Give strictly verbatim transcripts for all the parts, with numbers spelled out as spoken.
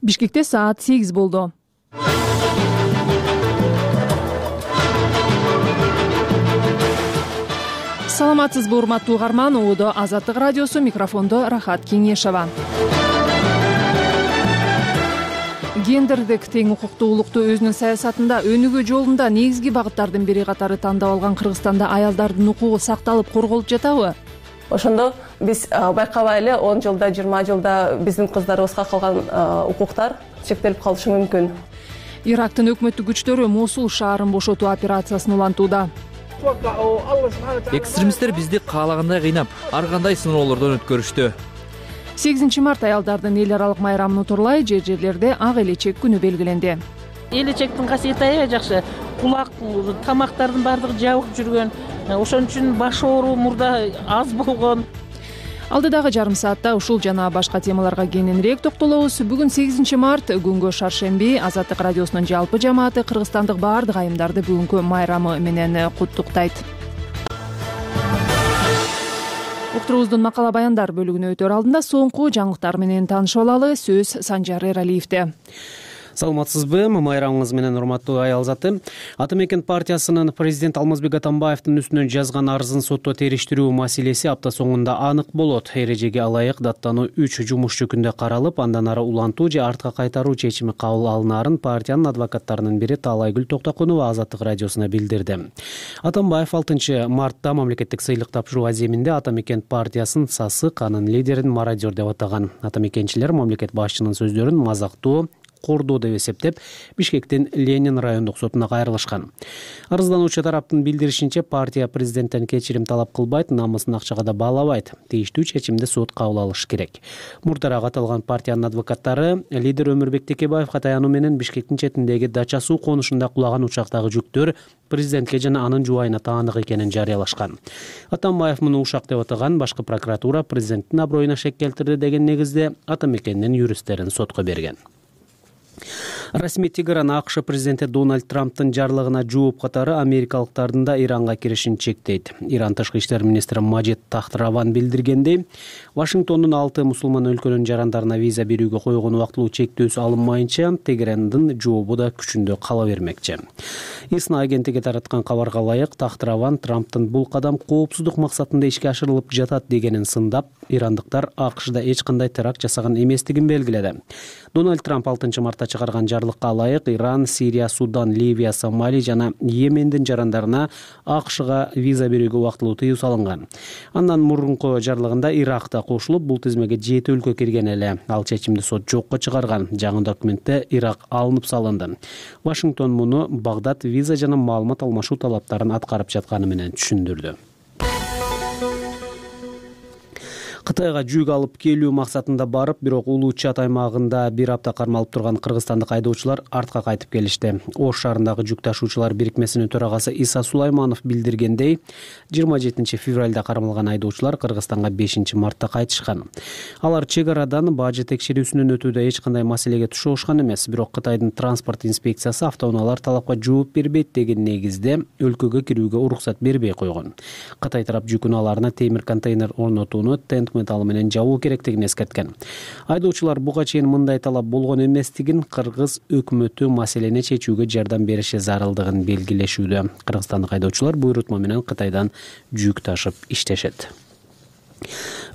Бишкекте саат сегиз болду. Саламатсызбы, урматтуу угарман? Оодо Азаттык радиосу, микрофондо Рахат Кеңешова. Гендердик тең укуктуулукту өзүнүн саясатында өнүгүү жолунда негизги багыттардын бири катары тандап алган Кыргызстанда аялдардын укугу сакталып корголуп жатабы? Ошондо биз байкабай эле он жылда, жыйырма жылда биздин кыздарыбызга калган укуктар чектелип калышы мүмкүн. Ирактын өкмөттүк күчтөрү Мосул шаарын бошотуу операциясын улантууда. Экстремисттер бизди каалагандай кыйнап, ар кандай сыноолордон өткөрүштү. сегизинчи март аялдардын эл аралык майрамын утурлай жер жерлерде ак элечек күнү белгиленди. Элечектин касиети аябай жакшы. Кулак, тамактардын баардыгы жабык жүргөн. Ошон үчүн баш оору мурда аз болгон. Алдыдагы жарым саатта ушул жана башка темаларга кененирээк токтолобуз. Бүгүн сегизинчи март, күнгө шаршемби. Азаттык радиосунун жалпы жамааты Кыргызстандык баардык айымдарды бүгүнкү майрамы менен куттуктайт. Уктурубуздун макала баяндар бөлүгүнө өтөр алдында соңку жаңылыктар менен таанышып алалы. Сөз Санжар Эралиевде. Саламатсызбы, майрамыңыз менен урматтуу аял заты. Ата мекен партиясынын президент Алмазбек Атамбаевдин үстүнөн жазган арызын сотто териштирүү маселеси апта соңунда анык болот. Эрежеге ылайык даттануу үч жумушчу күндө каралып, андан ары улантуу же артка кайтаруу чечими кабыл алынаарын партиянын адвокаттарынын бири Таалайгүл Токтокунова Азаттык радиосуна билдирди. Атамбаев алтынчы мартта мамлекеттик сыйлык тапшыруу аземинде Ата мекен партиясын сасык, анын лидерин мародер деп атаган. Ата мекенчилер мамлекет башчынын сөздөрүн мазактоо, кордоо деп эсептеп, Бишкектин Ленин райондук сотуна кайрылышкан. Арыздануучу тараптын билдиришинче, партия президенттен кечирим талап кылбайт, намысын акчага да баалабайт. Тийиштүү чечимди сот кабыл алышы керек. Мурдараак аталган партиянын адвокаттары лидер Өмүрбек Текебаевга таянуу менен Бишкектин четиндеги Дача суу конушунда кулаган учактагы жүктөр президентке жана анын жубайына таандык экенин жарыялашкан. Атамбаев муну ушак деп атаган, башкы прокуратура президенттин аброюна шек келтирди деген негизде Ата мекенинин юристтерин сотко берген. Расмий Тегеран АКШ президенти Дональд Трамптын жарлыгына жооп катары америкалыктардын да Иранга киришин чектейт. Иран тышкы иштер министри Маджид Тахтраван билдиргендей, Вашингтондун алты мусулман өлкөнүн жарандарына виза берүүгө койгон убактылуу чектөөсү алынмайынча, Тегерандын жообу да күчүндө кала бермекчи. ИСНА агенттиги тараткан кабарга ылайык, Тахтраван Трамптын бул кадам коопсуздук максатында ишке ашырылып жатат дегенин сындап, ирандыктар АКШда эч кандай теракт жасаган эместигин белгиледи. Дональд Трамп алтынчы мартта чыгарган жарлыкка ылайык Иран, Сирия, Судан, Ливия, Сомали жана Йемендин жарандарына АКШга виза берүүгө убактылуу тыюу салынган. Андан мурунку жарлыгында Ирак да кошулуп, бул тизмеге жети өлкө кирген эле. Ал чечимди сот жокко чыгарган. Жаңы документте Ирак алынып салынды. Вашингтон муну Багдад виза жана маалымат алмашуу талаптарын аткарып жатканы менен түшүндүрдү. Кытайга жүк алып келүү максатында барып, бирок Улуу Чат аймагында бир апта кармалып турган кыргызстандык айдоочулар артка кайтып келишти. Ош шаарындагы жүк ташуучулар бирикмесинин төрагасы Иса Сулайманов билдиргендей, жыйырма жетинчи февралда кармалган айдоочулар Кыргызстанга бешинчи мартта кайтышкан. Алар чек арадан бажы текшерүүсүнөн өтүүдө эч кандай маселеге тушушкан эмес, бирок Кытайдын транспорт инспекциясы автоунаалар талапка жооп бербейт деген негизде өлкөгө кирүүгө уруксат бербей койгон. Кытай тарап жүк унааларына темир контейнер орнотууну тент металл менен жабуу керектигин эскерткен. Айдоочулар буга чейин мындай талап болгон эместигин, кыргыз өкмөтү маселени чечүүгө жардам бериши зарылдыгын белгилешүүдө. Кыргызстандык айдоочулар буйрутма менен Кытайдан жүк ташып иштешет.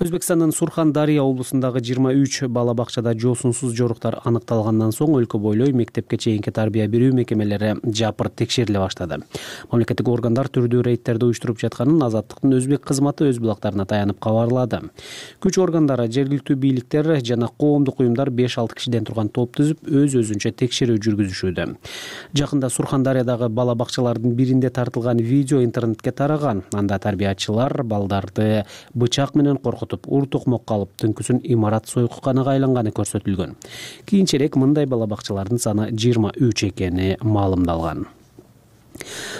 Өзбекстандын Сурхан-Дария облусундагы жыйырма үч бала бакчада жоосунсуз жоруктар аныкталгандан соң өлкө бойлой мектепке чейинки тарбия берүү мекемелери жапырт текшериле баштады. Мамлекеттик органдар түрдүү рейдтерди уюштуруп жатканын Азаттыктын өзбек кызматы өз булактарына таянып кабарлады. Күч органдары, жергиликтүү бийликтер жана коомдук уюмдар беш алты кишиден турган топ түзүп, өз-өзүнчө текшерүү жүргүзүшүүдө. Жакында Сурхан-Дариядагы бала бакчалардын биринде тартылган видео интернетке тараган. Анда тарбиячылар балдарды бычак менен коркутуп, ур токмокко алып, түнкүсүн имарат сойкуканага айланганы көрсөтүлгөн. Кийинчерээк мындай бала бакчалардын саны жыйырма үч экени маалымдалган.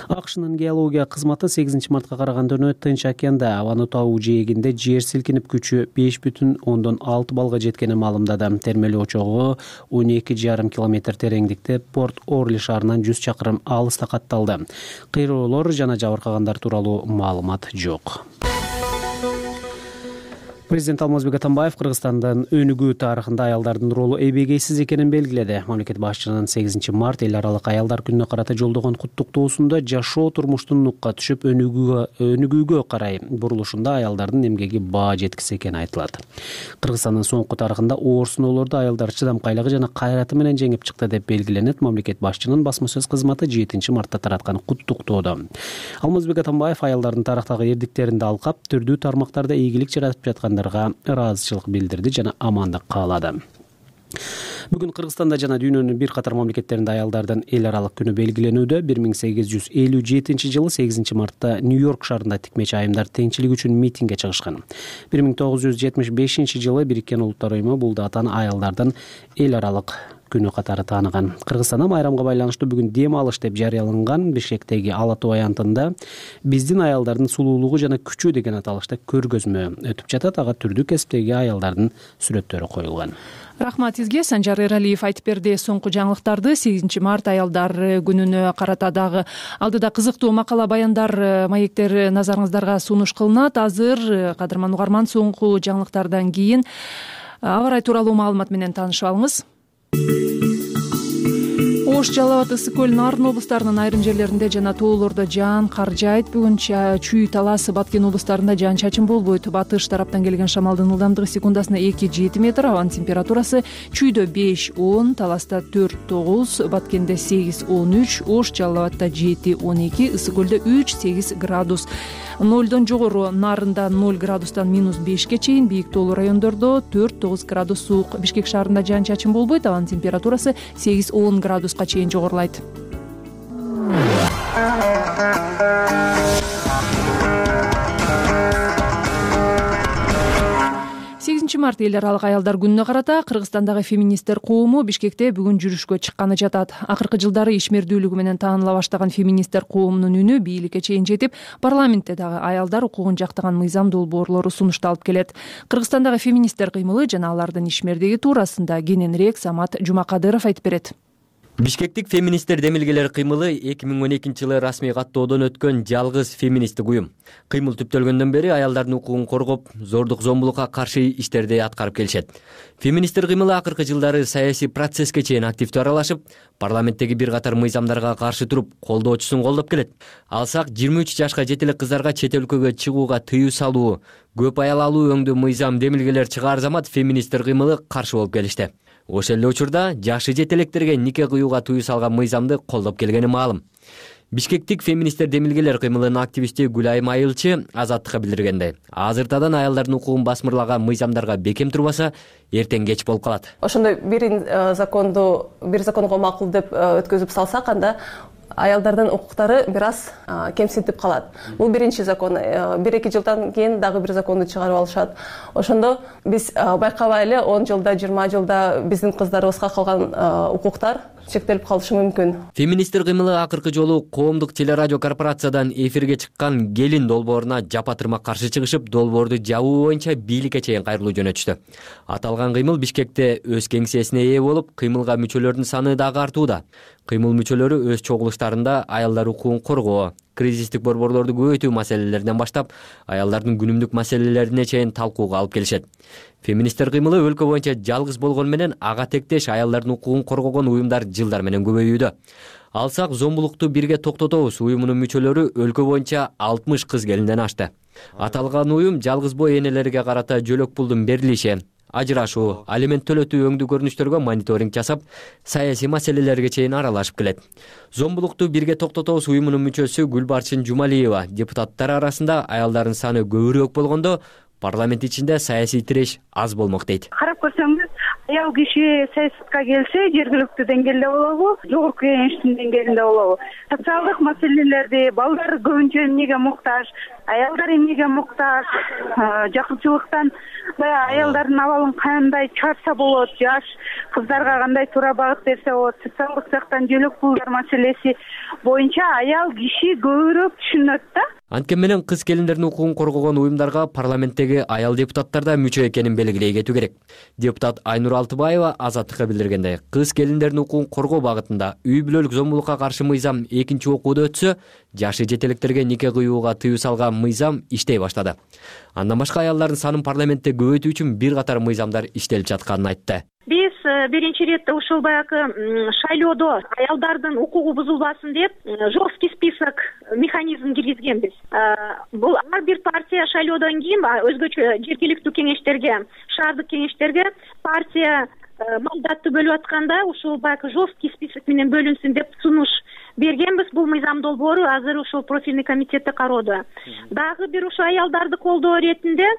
АКШнын геология кызматы сегизинчи мартка караган түнү Тынч океанда Авану тау жээгинде жер силкинип күчү беш бүтүн ондон алты балга жеткенин маалымдады. Термелүү очогу он эки жарым километр тереңдикте Порт Орли шаарынан жүз чакырым алыста катталды. Кыйроолор жана жабыркагандар тууралуу маалымат жок. Президент Алмазбек Атамбаев Кыргызстандын өнүгүү тарыхында аялдардын ролу эбегейсиз экенин белгиледи. Мамлекет башчынын сегизинчи март эл аралык аялдар күнүнө карата жолдогон куттуктоосунда жашоо турмуштун нукка түшүп өнүгүүгө өнүгүүгө карай бурулушунда аялдардын эмгеги баа жеткис экени айтылат. Кыргызстандын соңку тарыхында оор сыноолорду аялдар чыдамкайлыгы жана кайраты менен жеңип чыкты деп белгиленет мамлекет башчынын басма сөз кызматы жетинчи мартта тараткан куттуктоодо. Алмазбек Атамбаев аялдардын тарыхтагы эрдиктерин алкап, түрдүү тармактарда ийгилик жаратып жаткан ыраазычылык билдирди жана амандык каалады. Бүгүн Кыргызстанда жана дүйнөнүн бир катар мамлекеттеринде аялдардын эл аралык күнү белгиленүүдө. бир миң сегиз жүз элүү жетинчи жылы сегизинчи мартта Нью-Йорк шаарында тикмечи айымдар теңчилик үчүн митингге чыгышкан. бир миң тогуз жүз жетимиш бешинчи жылы Бириккен Улуттар уюму бул датаны аялдардын эл аралык күнү катары тааныган. Кыргызстанда майрамга байланыштуу бүгүн дем алыш деп жарыяланган Бишкектеги Ала Тоо аянтында биздин аялдардын сулуулугу жана күчү деген аталышта көргөзмө өтүп жатат. Ага түрдүү кесиптеги аялдардын сүрөттөрү коюлган. Рахмат сизге. Санжар Эралиев айтып берди. Соңку жаңылыктарды сегизинчи март аялдар күнүнө карата дагы алдыда кызыктуу макала, баяндар, маектер назарыңыздарга сунуш кылынат. Азыр кадырман угарман, соңку жаңылыктардан кийин аба ырайы тууралуу маалымат менен таанышып алыңыз. Ош, Жалал Абад, Ысык көл, Нарын облустарынын айрым жерлеринде жана тоолордо жаан кар жаайт. Бүгүн Чүй, Талас, Баткен облустарында жаан-чачын болбойт. Батыш тараптан келген шамалдын ылдамдыгы секундасына эки жети метр, абанын температурасы Чүйдө беш он, Таласта төрт тогуз, Баткенде сегиз он үч, Ош, Жалал Абадта жети он эки, Ысык көлдө үч сегиз градус. нолдон жогору Нарында ноль градустан минус бешке чейин, бийик тоолуу райондордо төрт тогуз градус суук. Бишкек шаарында жаан-чачын болбойт, абанын температурасы сегиз он градуска чейин жогорулайт. сегизинчи март эл аралык аялдар күнүнө карата Кыргызстандагы феминисттер коому Бишкекте бүгүн жүрүшкө чыкканы жатат. Акыркы жылдары ишмердүүлүгү менен тааныла баштаган феминисттер коомунун үнү бийликке чейин жетип, парламентте дагы аялдар укугун жактаган мыйзам долбоорлору сунушталып келет. Кыргызстандагы феминисттер кыймылы жана алардын ишмердиги туурасында кененирээк Самат Жумакадыров айтып берет. Бишкектик феминисттер демилгелер кыймылы эки миң он экинчи жылы расмий каттоодон өткөн жалгыз феминисттик уюм. Кыймыл түптөлгөндөн бери аялдардын укугун коргоп, зордук зомбулукка каршы иштерди аткарып келишет. Феминисттер кыймылы акыркы жылдары саясий процесске чейин активдүү аралашып, парламенттеги бир катар мыйзамдарга каршы туруп, колдоочусун колдоп келет. Алсак жыйырма үч жашка жете элек кыздарга чет өлкөгө чыгууга тыюу салуу, көп аял алуу өңдүү мыйзам демилгелер чыгаар замат феминисттер кыймылы каршы болуп келишти. Ошол эле учурда жашы жете электерге нике кыюуга тыюу салган мыйзамды колдоп келгени маалым. Бишкектик феминисттер демилгелер кыймылынын активисти Гүлайым Айылчы Азаттыкка билдиргендей, азыртадан аялдардын укугун басмырлаган мыйзамдарга бекем турбаса, эртең кеч болуп калат. Ошондой бир законду, бир законго макул деп өткөзүп салсак, анда аялдардын укуктары бир аз кемсинтип калат. Бул биринчи закон. бир эки жылдан кийин дагы бир законду чыгарып алышат. Ошондо биз байкабай эле он жылда, жыйырма жылда биздин кыздарыбызга калган укуктар чектелип калышы мүмкүн. Феминисттер кыймылы акыркы жолу коомдук телерадио корпорациядан эфирге чыккан Келин долбооруна жапа-тырмак каршы чыгышып, долбоорду жабуу боюнча бийликке чейин кайрылуу жөнөтүштү. Аталган кыймыл Бишкекте өз кеңсесине ээ болуп, кыймылга мүчөлөрдүн саны дагы артууда. Кыймыл мүчөлөрү өз чогулуштарында аялдар укугун коргоо, кризистик борборлорду көбөйтүү маселелеринен баштап, аялдардын күнүмдүк маселелерине чейин талкууга алып келишет. Феминисттер кыймылы өлкө боюнча жалгыз болгону менен ага тектеш аялдардын укугун коргогон уюмдар жылдар менен көбөйүүдө. Алсак зомбулукту бирге токтотобуз уюмунун мүчөлөрү өлкө боюнча алтымыш кыз келинден ашты. Аталган уюм жалгыз бой энелерге карата жөлөк пулдун берилиши, ажырашуу, алимент төлөтүү өңдүү көрүнүштөргө мониторинг жасап, саясий маселелерге чейин аралашып келет. Зомбулукту бирге токтотобуз уюмунун мүчөсү Гүлбарчын Жумалиева депутаттар арасында аялдардын саны көбүрөөк болгондо, парламент ичинде саясий тиреш аз болмок дейт. Карап көрсөңүз, аял киши саясатка келсе, жергиликтүү деңгээлде болобу, жогорку кеңештин деңгээлинде болобу, социалдык маселелерди, балдар көбүнчө эмнеге муктаж, аялдар эмнеге муктаж, жакынчылыктан баягы аялдардын абалын кандай чыгарса болот, жаш кыздарга кандай туура багыт берсе болот, социалдык жактан жөлөк пулдар маселеси боюнча аял киши көбүрөөк түшүнөт да. Анткени менен кыз келиндердин укугун коргогон уюмдарга парламенттеги аял депутаттар да мүчө экенин белгилей кетүү керек. Депутат Айнур Алтыбаева Азаттыкка билдиргендей, кыз келиндердин укугун коргоо багытында үй бүлөлүк зомбулукка каршы мыйзам экинчи окууда өтсө, жашы жете электерге нике кыюуга тыюу салган мыйзам иштей баштады. Андан башка аялдардын санын парламентте көбөйтүү үчүн бир катар мыйзамдар иштелип жатканын айтты. Биз биринчи ирет ушул баягы шайлоодо аялдардын укугу бузулбасын деп жесткий список механизм киргизгенбиз. Бул ар бир партия шайлоодон кийин өзгөчө жергиликтүү кеңештерге, шаардык кеңештерге партия мандатты бөлүп атканда ушул баягы жесткий список менен бөлүнсүн деп сунуш бергенбиз. Бул мыйзам долбоору азыр ушул профильный комитетте кароодо. Дагы бир ушул аялдарды колдоо иретинде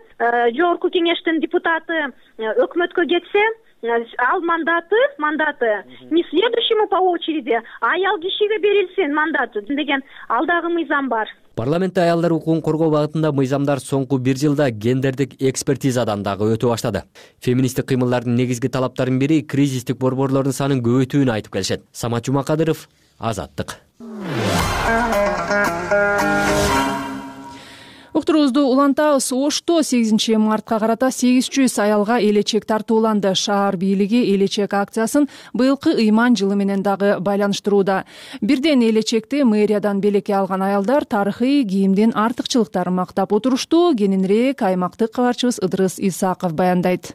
жогорку кеңештин депутаты өкмөткө кетсе, ал мандаты мандаты не следующему по очереди, аял кишиге берилсин мандаты деген ал дагы мыйзам бар. Парламентте аялдар укугун коргоо багытында мыйзамдар соңку бир жылда гендердик экспертизадан дагы өтө баштады. Феминисттик кыймылдардын негизги талаптарынын бири кризистик борборлордун санын көбөйтүүнү айтып келишет. Самат Жумакадыров, Азаттык. Уктуруубузду улантабыз. Ошто сегизинчи мартка карата сегиз жүз аялга элечек тартууланды. Шаар бийлиги элечек акциясын быйылкы ыйман жылы менен дагы байланыштырууда. Бирден элечекти мэриядан белекке алган аялдар тарыхый кийимдин артыкчылыктарын мактап отурушту. Кененирээк аймактык кабарчыбыз Ыдырыс Исаков баяндайт.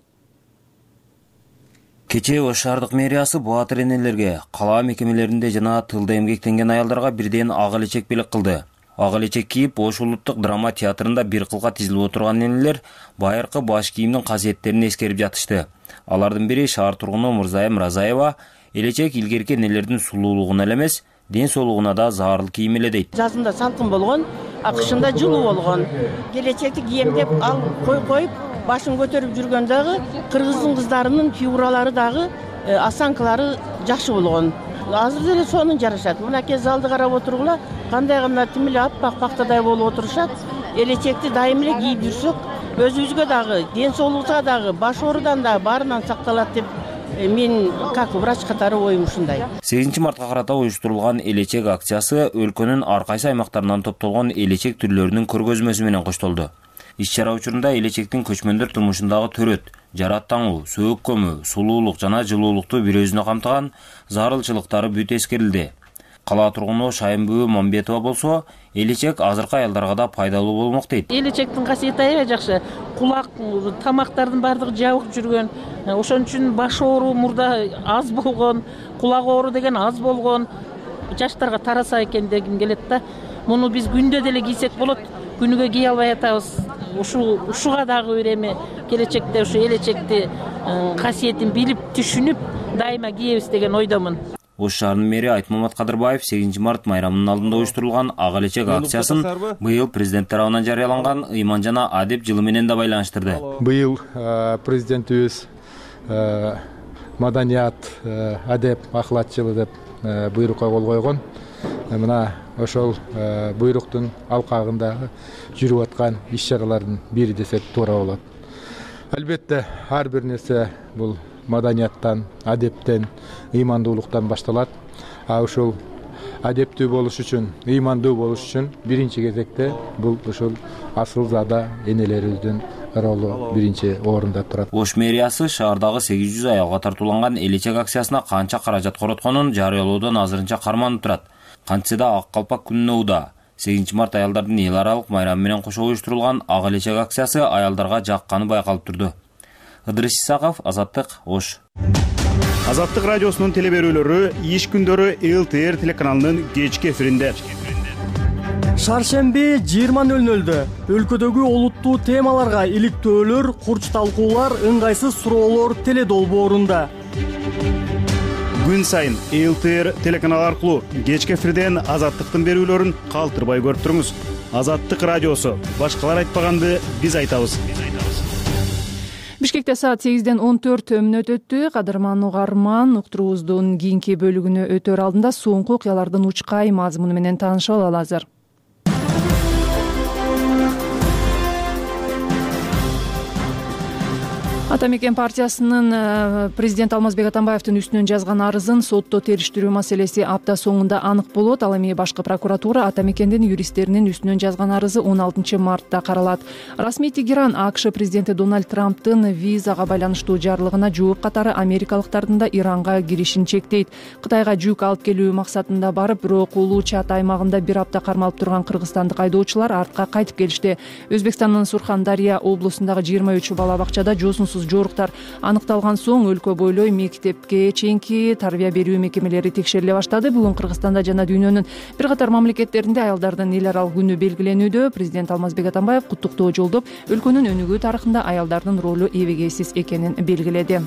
Кечээ Ош шаардык мэриясы баатыр энелерге, кала мекемелеринде жана тылда эмгектенген аялдарга бирден ак элечек белек кылды. Ак элечек кийип Ош улуттук драма театрында бир кылга тизилип отурган энелер байыркы баш кийимдин касиеттерин эскерип жатышты. Алардын бири шаар тургуну Мурзайым Разаева элечек илгерки энелердин сулуулугуна эле эмес, ден соолугуна да зарыл кийим эле дейт. Жазында салкын болгон, акышында жылуу болгон. Келечекти кийем деп ал кой коюп башын көтөрүп жүргөн дагы кыргыздын кыздарынын фигуралары дагы осанкалары жакшы болгон. Азыр деле сонун жарашат. Мынакей залды карап отургула, кандай гана тим эле аппак пактадай болуп отурушат. Элечекти дайым эле кийип жүрсөк, өзүбүзгө дагы, ден соолукка дагы, баш оорудан да баарынан сакталат деп мен как врач катары оюм ушундай. сегизинчи мартка карата уюштурулган элечек акциясы өлкөнүн ар кайсы аймактарынан топтолгон элечек түрлөрүнүн көргөзмөсү менен коштолду. Иш-чара учурунда элечектин көчмөндөр турмушундагы төрөт, жарат таңуу, сөөк көмүү, сулуулук жана жылуулукту бир өзүнө камтыган зарылчылыктары бүт эскерилди. Кала тургуну Шайымбүү Мамбетова болсо, элечек азыркы аялдарга да пайдалуу болмок дейт. Элечектин касиети аябай жакшы. Кулак, тамактардын баардыгы жабык жүргөн. Ошон үчүн баш оору мурда аз болгон, кулак оору деген аз болгон. Жаштарга тараса экен дегим келет да. Муну биз күндө деле кийсек болот. Күнүгө кие албай атабыз. Ушул ушуга дагы бир эме келечекте ушу элечекти касиетин билип, түшүнүп, дайыма киебиз деген ойдомун. Ош шаарынын мэри Айтмамат Кадырбаев сегизинчи март майрамынын алдында уюштурулган ак элечек акциясын быйыл президент тарабынан жарыяланган ыйман жана адеп жылы менен да байланыштырды. Быйыл президентибиз маданият, адеп, ахлат жылы деп буйрукка кол койгон. Мына ошол буйруктун алкагында жүрүп аткан иш-чаралардын бири десек туура болот. Албетте ар бир нерсе бул маданияттан, адептен, ыймандуулуктан башталат. А ушул адептүү болуш үчүн, ыймандуу болуш үчүн биринчи кезекте бул ушул асыл зада энелерибиздин ролу биринчи орунда турат. Ош мэриясы шаардагы сегиз жүз аялга тартууланган элечек акциясына канча каражат коротконун жарыялоодон азырынча карманып турат. Кантсе да ак калпак күнүнө ууда. сегизинчи март аялдардын эл аралык майрамы менен кошо уюштурулган ак элечек акциясы аялдарга жакканы байкалып турду. Ыдырыс Исаков, Азаттык, Ош. Азаттык радиосунун телеберүүлөрү иш күндөрү эл тэ эр телеканалынын кечки эфиринде. Шаршемби жыйырма нөл нөлдө өлкөдөгү олуттуу темаларга иликтөөлөр, курч талкуулар, ыңгайсыз суроолор теледолбоорунда. Күн сайын эл тэ эр телеканалы аркылуу кечки эфирден Азаттыктын берүүлөрүн калтырбай көрүп туруңуз. Азаттык радиосу. Башкалар айтпаганды биз айтабыз. Бишкекте саат сегизден он төрт мүнөт өттү. Кадырман угарман, уктуруубуздун кийинки бөлүгүнө өтөр алдында соңку окуялардын учкай мазмуну менен таанышып алалы азыр. Ата мекен партиясынын президент Алмазбек Атамбаевдин үстүнөн жазган арызын сотто териштирүү маселеси апта соңунда анык болот. Ал эми башкы прокуратура Ата мекендин юристтеринин үстүнөн жазган арызы он алтынчы мартта каралат. Расмий Тегеран АКШ президенти Дональд Трамптын визага байланыштуу жарлыгына жооп катары америкалыктардын да Иранга киришин чектейт. Кытайга жүк алып келүү максатында барып, бирок Улуу Чат аймагында бир апта кармалып турган кыргызстандык айдоочулар артка кайтып келишти. Өзбекстандын Сурхандария облусундагы жыйырма үч бала бакчада жоосунсуз жоруктар аныкталган соң өлкө бойлой мектепке чейинки тарбия берүү мекемелери текшериле баштады. Бүгүн Кыргызстанда жана дүйнөнүн бир катар мамлекеттеринде аялдардын эл аралык күнү белгиленүүдө. Президент Алмазбек Атамбаев куттуктоо жолдоп, өлкөнүн өнүгүү тарыхында аялдардын ролу эбегейсиз экенин белгиледи.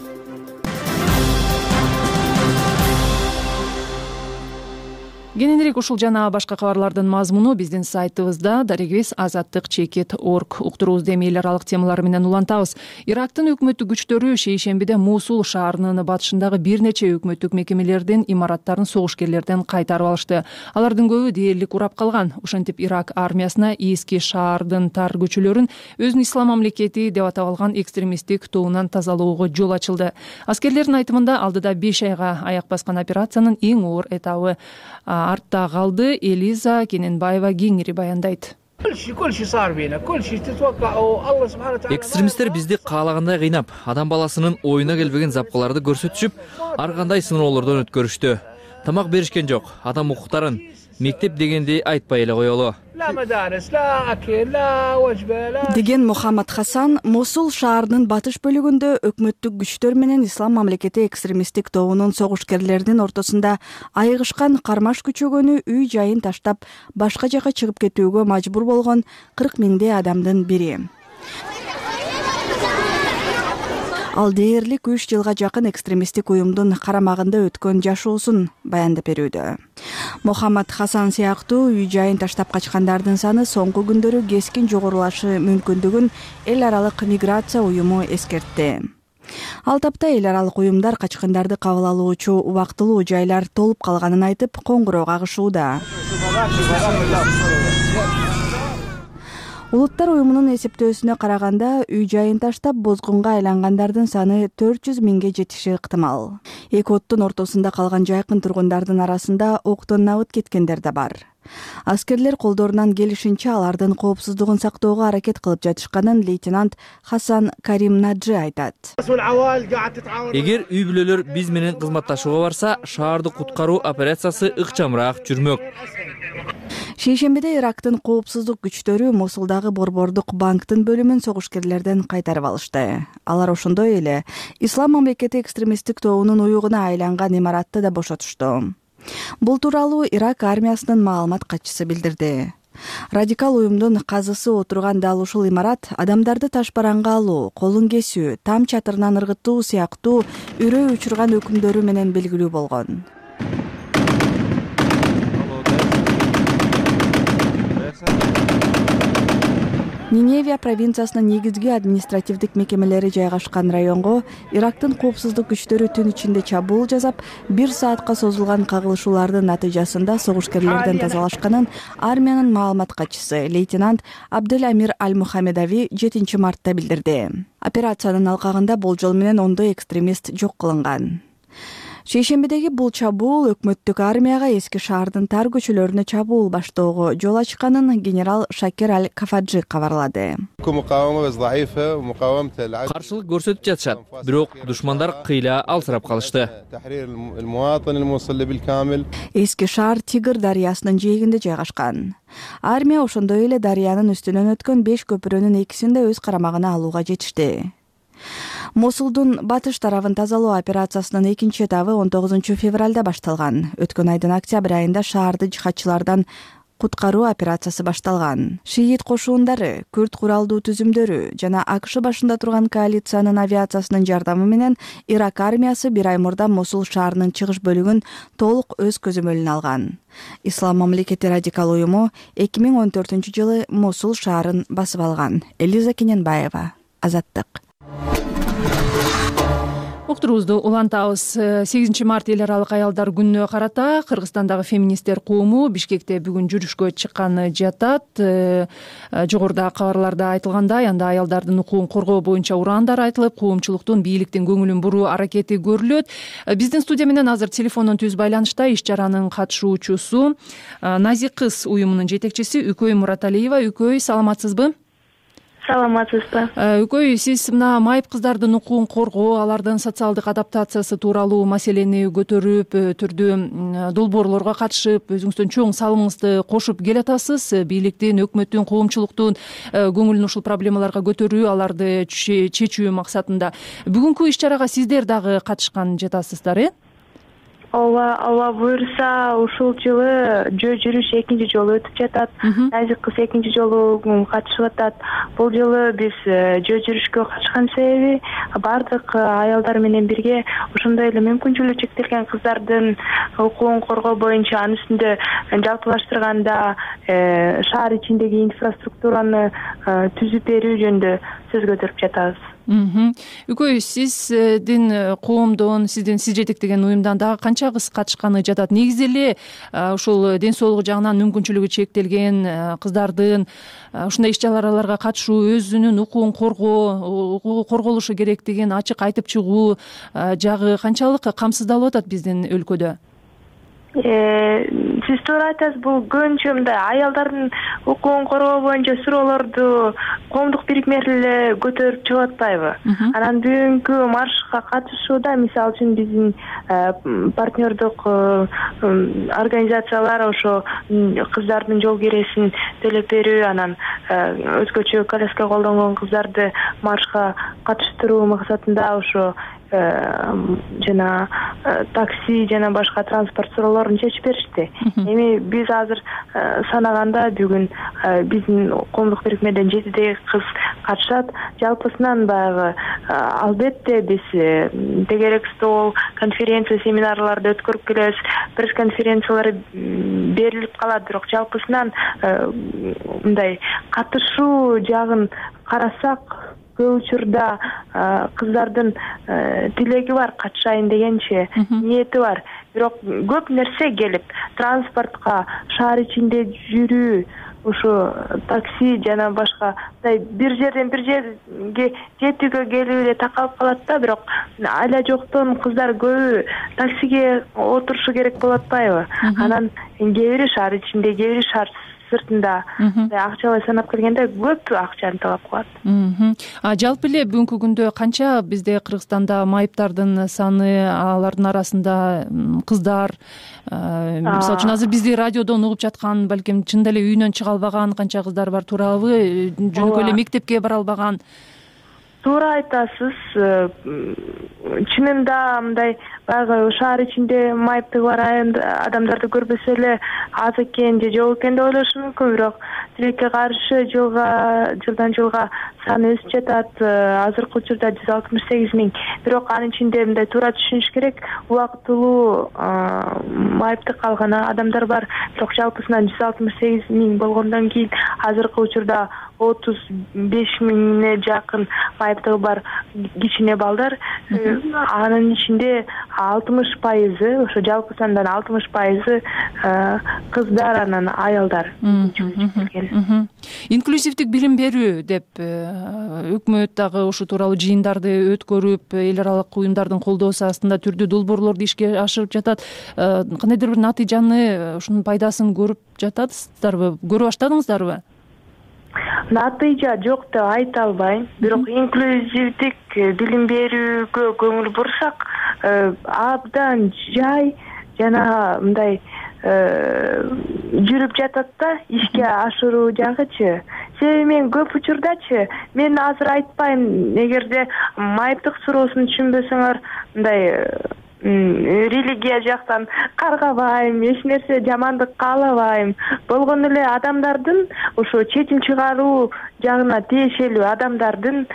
Кененирээк ушул жана башка кабарлардын мазмуну биздин сайтыбызда дарегибиз азаттык чекит точка орг. Уктуруубузду эми эл аралык темалар менен улантабыз. Ирактын өкмөттүк күчтөрү шейшембиде Мусул шаарынын батышындагы бир нече өкмөттүк мекемелердин имараттарын согушкерлерден кайтарып алышты. Алардын көбү дээрлик урап калган. Ошентип Ирак армиясына Ииски шаардын тар көчөлөрүн өзүн ислам мамлекети деп атап алган экстремисттик тобунан тазалоого жол ачылды. Аскерлердин айтымында алдыда беш айга аяк баскан операциянын эң оор этабы артта калды. Элиза Кененбаева кеңири баяндайт. Экстремисттер бизди каалагандай кыйнап, адам баласынын оюна келбеген запкаларды көрсөтүшүп, ар кандай сыноолордон өткөрүштү. Тамак беришкен жок, адам укуктарын, мектеп дегенди айтпай эле коелу деген Мухаммад Хасан Мусул шаарынын батыш бөлүгүндө өкмөттүк күчтөр менен ислам мамлекети экстремисттик тобунун согушкерлеринин ортосунда айыгышкан кармаш күчөгөнү үй жайын таштап башка жака чыгып кетүүгө мажбур болгон кырк миңдей адамдын бири. Ал дээрлик үч жылга жакын экстремисттик уюмдун карамагында өткөн жашоосун баяндап берүүдө. Мухаммад Хасан сыяктуу үй жайын таштап качкандардын саны соңку күндөрү кескин жогорулашы мүмкүндүгүн эл аралык миграция уюму эскертти. Ал тапта эл аралык уюмдар качкындарды кабыл алуучу убактылуу жайлар толуп калганын айтып, коңгуроо кагышууда. Улуттар уюмунун эсептөөсүнө караганда, үй жайын таштап бозгунга айлангандардын саны төрт жүз миңге жетиши ыктымал. Эки оттун ортосунда калган жайкын тургундардын арасында октон набыт кеткендер да бар. Аскерлер колдорунан келишинче алардын коопсуздугун сактоого аракет кылып жатышканын лейтенант Хасан Карим Наджи айтат. Эгер үй бүлөлөр биз менен кызматташууга барса, шаарды куткаруу операциясы ыкчамыраак жүрмөк. Шейшембиде Ирактын коопсуздук күчтөрү Мусулдагы Борбордук банктын бөлүмүн согушкерлерден кайтарып алышты. Алар ошондой эле ислам мамлекети экстремисттик тобунун уюгуна айланган имаратты да бошотушту. Бул тууралуу Ирак армиясынын маалымат катчысы билдирди. Радикал уюмдун казысы отурган дал ушул имарат адамдарды ташбаранга алуу, колун кесүү, там чатырынан ыргытуу сыяктуу үрөө учурган өкүмдөрү менен белгилүү болгон. Ниневия провинциясынын негизги административдик мекемелери жайгашкан районго Ирактын коопсуздук күчтөрү түн ичинде чабуул жасап, бир саатка созулган кагылышуулардын натыйжасында согушкерлерден тазалашканын армиянын маалымат катчысы лейтенант Абдель Амир Аль-Мухаммедави жетинчи мартта билдирди. Операциянын алкагында болжол менен ондой экстремист жок кылынган. Шейшембидеги бул чабуул өкмөттүк армияга эски шаардын тар көчөлөрүнө чабуул баштоого жол ачканын генерал Шакир Аль-Кафаджи кабарлады. Каршылык көрсөтүп жатышат, бирок душмандар кыйла алсырап калышты. Эски шаар Тигр дарыясынын жээгинде жайгашкан. Армия ошондой эле дарыянын үстүнөн өткөн беш көпүрөнүн экисин да өз карамагына алууга жетишти. Мусулдун батыш тарабын тазалоо операциясынын экинчи этабы он тогузунчу февралда башталган. Өткөн айдын октябрь айында шаарды жихадчылардан куткаруу операциясы башталган. Шиит кошуундары, күрд куралдуу түзүмдөрү жана АКШ башында турган коалициянын авиациясынын жардамы менен Ирак армиясы бир ай мурда Мусул шаарынын чыгыш бөлүгүн толук өз көзөмөлүнө алган. Ислам мамлекети радикал уюму эки миң он төртүнчү жылы Мусул шаарын басып алган. Элиза Кененбаева, Азаттык. уктуруубузду улантабыз. сегизинчи март эл аралык аялдар күнүнө карата Кыргызстандагы феминисттер кому Бишкекте бүгүн жүрүшкө чыкканы жатат. Жогоруда кабарларда айтылгандай, анда аялдардын укугун коргоо боюнча ураандар айтылып, коомчулуктун бийликтин көңүлүн буруу аракети көрүлөт. Биздин студия менен азыр телефондон түз байланышта иш чаранын катышуучусу Назик кыз уюмунун жетекчиси Үкөй Мураталиева. Үкөй, саламатсызбы? Саламатсызбы. Үкөй, сиз мына майып кыздардын укугун коргоо, алардын социалдык адаптациясы тууралуу маселени көтөрүп, түрдүү долбоорлорго катышып, өзүңүздүн чоң салымыңызды кошуп келатасыз. Бийликтин, өкмөттүн, коомчулуктун көңүлүн ушул проблемаларга көтөрүү, аларды чечүү максатында. Бүгүнкү иш чарага сиздер дагы катышкан жатасыздар, э? Ооба, ооба буюрса, ушул жылы жөө жүрүш экинчи жолу өтүп жатат. Назик кыз экинчи жолу катышып атат. Бул жылы биз жөө жүрүшкө катышкан себеби бардык аялдар менен бирге ошондой эле мүмкүнчүлүгү чектелген кыздардын укугун коргоо боюнча, анын үстүндө жалпылаштырганда шаар ичиндеги инфраструктураны түзүп берүү жөнүндө сөз көтөрүп жатабыз. Үкөй, сиздин коомдон, сиздин сиз жетектеген уюмдан дагы канча кыз катышканы жатат? Негизи эле ушул ден соолугу жагынан мүмкүнчүлүгү чектелген кыздардын ушундай иш чараларга катышуу, өзүнүн укугун коргоо, укугу корголушу керек деген ачык айтып чыгуу жагы канчалык камсыздалып атат биздин өлкөдө? Сиз туура айтасыз, бул көбүнчө мындай аялдардын укугун коргоо боюнча суроолорду коомдук бирикмелер эле көтөрүп чыгып атпайбы? Анан бүгүнкү маршка катышууда, мисалы үчүн биздин партнердук организациялар ошо кыздардын жол киресин төлөп берүү, анан өзгөчө коляска колдонгон кыздарды маршка катыштыруу максатында ошо жана такси жана башка транспорт суроолорун чечип беришти. Эми биз азыр санаганда бүгүн биздин коомдук бирикмеден жетидей кыз катышат. Жалпысынан баягы албетте биз тегерек стол, конференция, семинарларды өткөрүп келебиз. Пресс-конференциялар берилип калат, бирок жалпысынан мындай катышуу жагын карасак, көп учурда кыздардын тилеги бар, катышайын дегенче ниети бар. Бирок көп нерсе келип, транспортко, шаар ичинде жүрүү, ушу такси жана башка бир жерден бир жерге жетүүгө келүү эле такалып калат да, бирок айла жоктон кыздар көбү таксиге отурушу керек болуп атпайбы? Анан кээ бири шаар ичинде, кээ бири шаар сыртында акчалай санап келгенде көп акчаны талап кылат. А жалпы эле бүгүнкү күндө канча бизде Кыргызстанда майыптардын саны, алардын арасында кыздар, мисалы үчүн азыр бизди радиодон угуп жаткан, балким чындап эле үйүнөн чыга албаган канча кыздар бар, туурабы? Жөнөкөй эле мектепке бара албаган? Туура айтасыз. Чынында мындай баягы шаар ичинде майыптыгы бар адамдарды көрбөсө эле аз экен же жок экен деп ойлошу мүмкүн, бирок тилекке каршы жылга жылдан жылга саны өсүп жатат. Азыркы учурда жүз алтымыш сегиз миң. Бирок анын ичинде мындай туура түшүнүш керек, убактылуу майыптык алган адамдар бар. Бирок жалпысынан жүз алтымыш сегиз миң болгондон кийин азыркы учурда отуз беш миңге жакын майыптыгы бар кичине балдар. Анын ичинде алтымыш пайызы, ошо жалпы сандан алтымыш пайызы кыздар, анан аялдар. Инклюзивдик билим берүү деп өкмөт дагы ушу тууралуу жыйындарды өткөрүп, эл аралык уюмдардын колдоосу астында түрдүү долбоорлорду ишке ашырып жатат. Кандайдыр бир натыйжаны, ушунун пайдасын көрүп жатасыздарбы? Көрө баштадыңыздарбы? Натыйжа жок деп айта албайм, бирок инклюзивдик билим берүүгө көңүл бурсак, абдан жай жана мындай жүрүп жатат да, ишке ашыруу жагычы. Себеби мен көп учурдачы, мен азыр айтпайм, эгерде майыптык суроосун түшүнбөсөңөр, мындай религия жактан каргабайм, эч нерсе жамандык каалабайм. Болгон эле адамдардын ошо чечим чыгаруу жагына тиешелүү адамдардын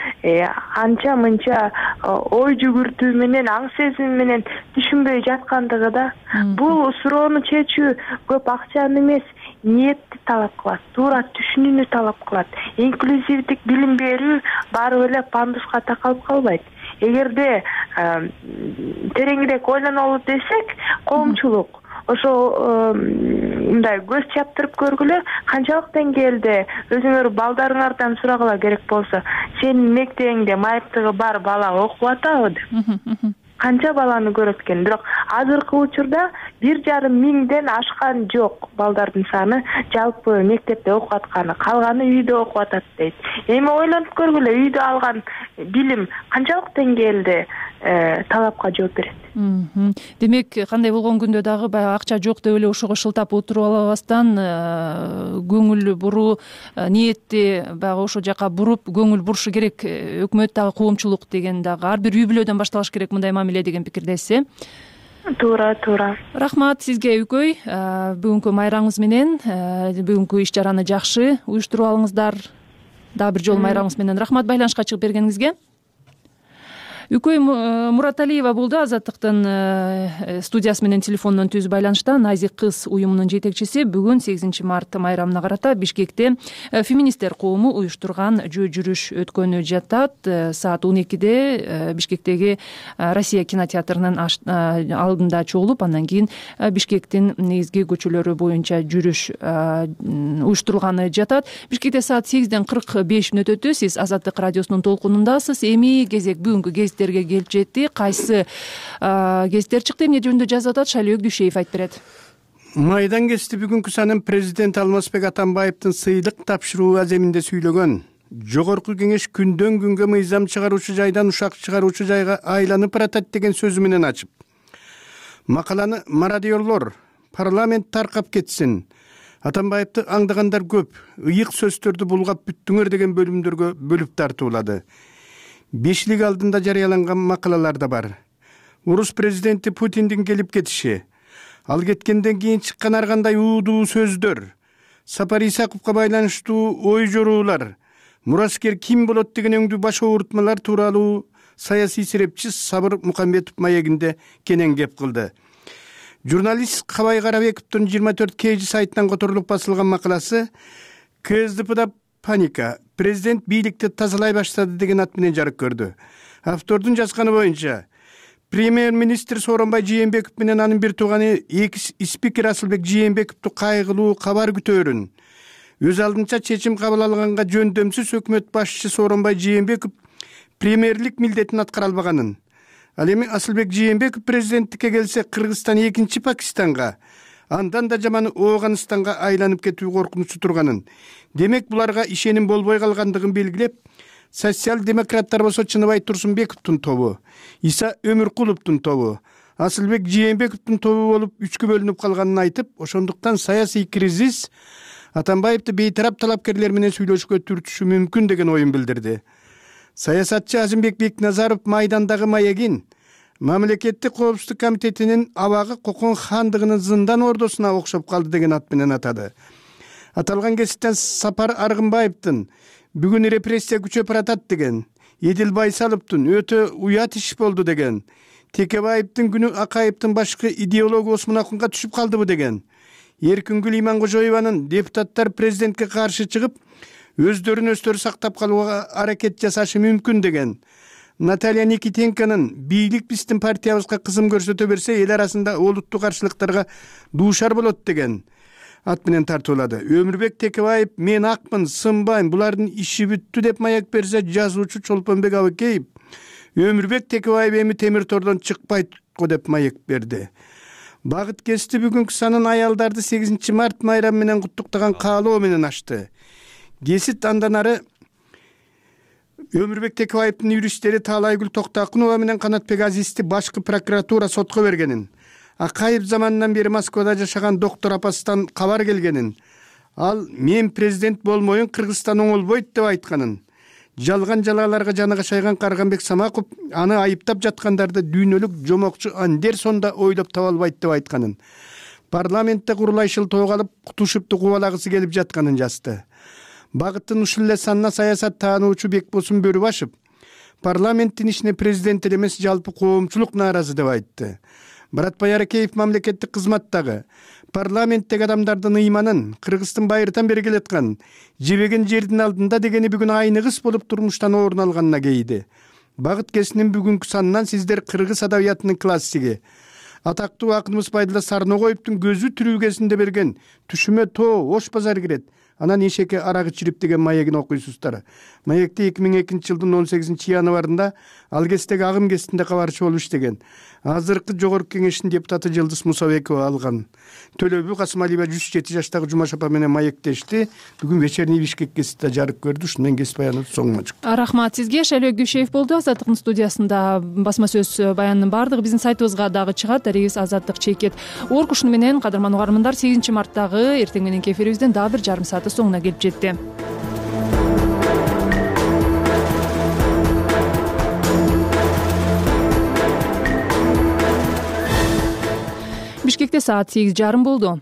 анча мынча ой жүгүртүү менен, аң сезим менен түшүнбөй жаткандыгы да. Бул суроону чечүү көп акчаны эмес, ниетти талап кылат, туура түшүнүүнү талап кылат. Инклюзивдик билим берүү баары эле пандуска такалып калбайт. эгерде тереңирээк ойлонолу десек, коомчулук ошо мындай көз чаптырып көргүлө, канчалык деңгээлде өзүңөр балдарыңардан сурагыла керек болсо, сенин мектебиңде майыптыгы бар бала окуп атабы деп. Канча баланы көрөт экен. Бирок азыркы учурда бир жарым миңден ашкан жок балдардын саны жалпы мектепте окуп атканы, калганы үйдө окуп атат дейт. Эми ойлонуп көргүлө, үйдө алган билим канчалык деңгээлде талапка жооп берет. Демек, кандай болгон күндө дагы баягы акча жок деп эле ошого шылтап отуруп албастан көңүл буруу ниетти баягы ошол жака буруп көңүл бурушу керек. Өкмөт дагы коомчулук деген дагы ар бир үй бүлөдөн башталыш керек мындай мамиле деген пикирдесиз, э? Туура, туура. Рахмат сизге Үкөй. Бүгүнкү майрамыңыз менен бүгүнкү иш чараны жакшы уюштуруп алыңыздар. Дагы бир жолу майрамыңыз менен рахмат байланышка чыгып бергениңизге. Үкөй Мураталиева болду, Азаттыктын студиясы менен телефондон түз байланышта. Назик кыз уюмунун жетекчиси бүгүн сегизинчи март майрамына карата Бишкекте феминисттер коому уюштурган жөө жүрүш өткөнү жатат. Саат он экиде Бишкектеги Россия кинотеатрынын алдында чогулуп, андан кийин Бишкектин негизги көчөлөрү боюнча жүрүш уюштурулганы жатат. Бишкекте саат сегизден кырк беш мүнөт өтү. Сиз Азаттык радиосунун толкунундасыз. Эми кезек бүгүнкү гезит келип жетти. Кайсы гезиттер чыкты, эмне жөнүндө жазып атат, Шайлөөк Дүйшеев айтып берет. Майдан гезити бүгүнкү санын президент Алмазбек Атамбаевдин сыйлык тапшыруу аземинде сүйлөгөн. Жогорку кеңеш күндөн күнгө мыйзам чыгаруучу жайдан ушак чыгаруучу жайга айланып баратат деген сөзү менен ачып, макаланы мародёрлор парламент таркап кетсин, Атамбаевди аңдагандар көп, ыйык сөздөрдү булгап бүттүңөр деген бөлүмдөргө бөлүп тартуулады. Бешлик алдында жарыяланган макалалар да бар. Орус президенти Путиндин келип кетиши, ал кеткенден кийин чыккан ар кандай уудуу сөздөр, Сапар Исаковго байланыштуу ой жоруулар, мураскер ким болот деген өңдүү баш оорутмалар тууралуу саясий серепчи Сабыр Мукамбетов маегинде кенен кеп кылды. Журналист Кабай Карабековдун жыйырма төрт кей жи сайтынан которулуп басылган макаласы КСДПда паника, президент бийликти тазалай баштады деген ат менен жарык көрдү. Автордун жазганы боюнча, премьер-министр Сооронбай Жээнбеков менен анын бир тууганы экс спикер Асылбек Жээнбековду кайгылуу кабар күтөөрүн өз алдынча чечим кабыл алганга жөндөмсүз өкмөт башчысы Сооронбай Жээнбеков премьерлик милдетин аткара албаганын, ал эми Асылбек Жээнбеков президенттикке келсе Кыргызстан экинчи Пакистанга, андан да жаманы Ооганстанга айланып кетүү коркунучу турганын, демек буларга ишеним болбой калгандыгын белгилеп, социал-демократтар болсо Чыныбай Турсунбековдун тобу, Иса Өмүркуловдун тобу, Асылбек Жээнбековдун тобу болуп үчкө бөлүнүп калганын айтып, ошондуктан саясий кризис Атамбаевди бейтарап талапкерлер менен сүйлөшүүгө түртүшү мүмкүн деген оюн билдирди. Саясатчы Азимбек Бекназаров майдандагы маегин Мамлекеттик коопсуздук комитетинин абагы Кокон хандыгынын зындан ордосуна окшоп калды деген ат менен атады. Аталган кесиптен Сапар Аргынбаевдин бүгүн репрессия күчөп баратат деген, Эдил Байсаловдун өтө уят иш болду деген, Текебаевдин күнү Акаевдин башкы идеологу Осмон Акунга түшүп калдыбы деген, Эркингүл Имангожоеванын депутаттар президентке каршы чыгып, өздөрүн өздөрү сактап калууга аракет жасашы мүмкүн деген, Наталья Никитенконун бийлик биздин партиябызга кызым көрсөтө берсе, эл арасында олуттуу каршылыктарга дуушар болот деген ат менен тартуулады. Өмүрбек Текебаев мен акмын, сынбайм, булардын иши бүттү деп маяк берсе, жазуучу Чолпонбек Абыкеев Өмүрбек Текебаев эми темир тордон чыкпайт го деп маек берди. Багыт кести бүгүнкү санын аялдарды сегизинчи март майрамы менен куттуктаган каалоо менен ачты. Гесит андан ары Өмүрбек Текебаевдин юристтери Таалайгүл Токтакунова менен Канатбек Азизди башкы прокуратура сотко бергенин, Акаев заманынан бери Москвада жашаган доктор апасынан кабар келгенин, ал мен президент болмоюн Кыргызстан оңолбойт деп айтканын, жалган жалааларга жаны кашайган Карганбек Самаков аны айыптап жаткандарды дүйнөлүк жомокчу Андерсонда ойлоп таба албайт деп айтканын, парламентте курулайшыл тоголуп кутушупту кубалагысы келип жатканын жазды. Багыттын ушул эле санына саясат таануучу Бекбосун Бөрүбашев парламенттин ишине президент эле эмес, жалпы коомчулук нааразы деп айтты. Баратбай Аракеев мамлекеттик кызматтагы парламенттеги адамдардын ыйманын Кыргыздын байыртан бери келаткан жебеген жердин алдында дегени бүгүн айныгыс болуп турмуштан орун алганына кейди. Багыт кесинин бүгүнкү санынан сиздер кыргыз адабиятынын классиги, атактуу акыныбыз Байдыла Сарногоевдун көзү тирүүгесинде берген Түшүмө тоо Ош базар кирет, анан эшекке арак ичирип деген маегин окуйсуздар. Маекти эки миң экинчи жылдын он сегизинчи январында ал кездеги агым кезинде кабарчы болуп иштеген азыркы жогорку кеңештин депутаты Жылдыз Мусабекова алган. Төлөбү Касымалиева жүз жети жаштагы Жумаш апа менен маектешти. Бүгүн вечерний Бишкек гезитте жарык көрдү. Ушуну менен гезит баяны соңуна чыкты. Рахмат сизге. Шайлоо Гүшеев болду. Азаттыктын студиясында басма сөз баянынын баардыгы биздин сайтыбызга дагы чыгат. Дарегибиз Азаттык чекит орг. Ушуну менен кадырман угармандар, сегизинчи марттагы эртең мененки эфирибиздин дагы бир жарым сааты соңуна келип жетти. Бишкекте саат сегиз жарым болду.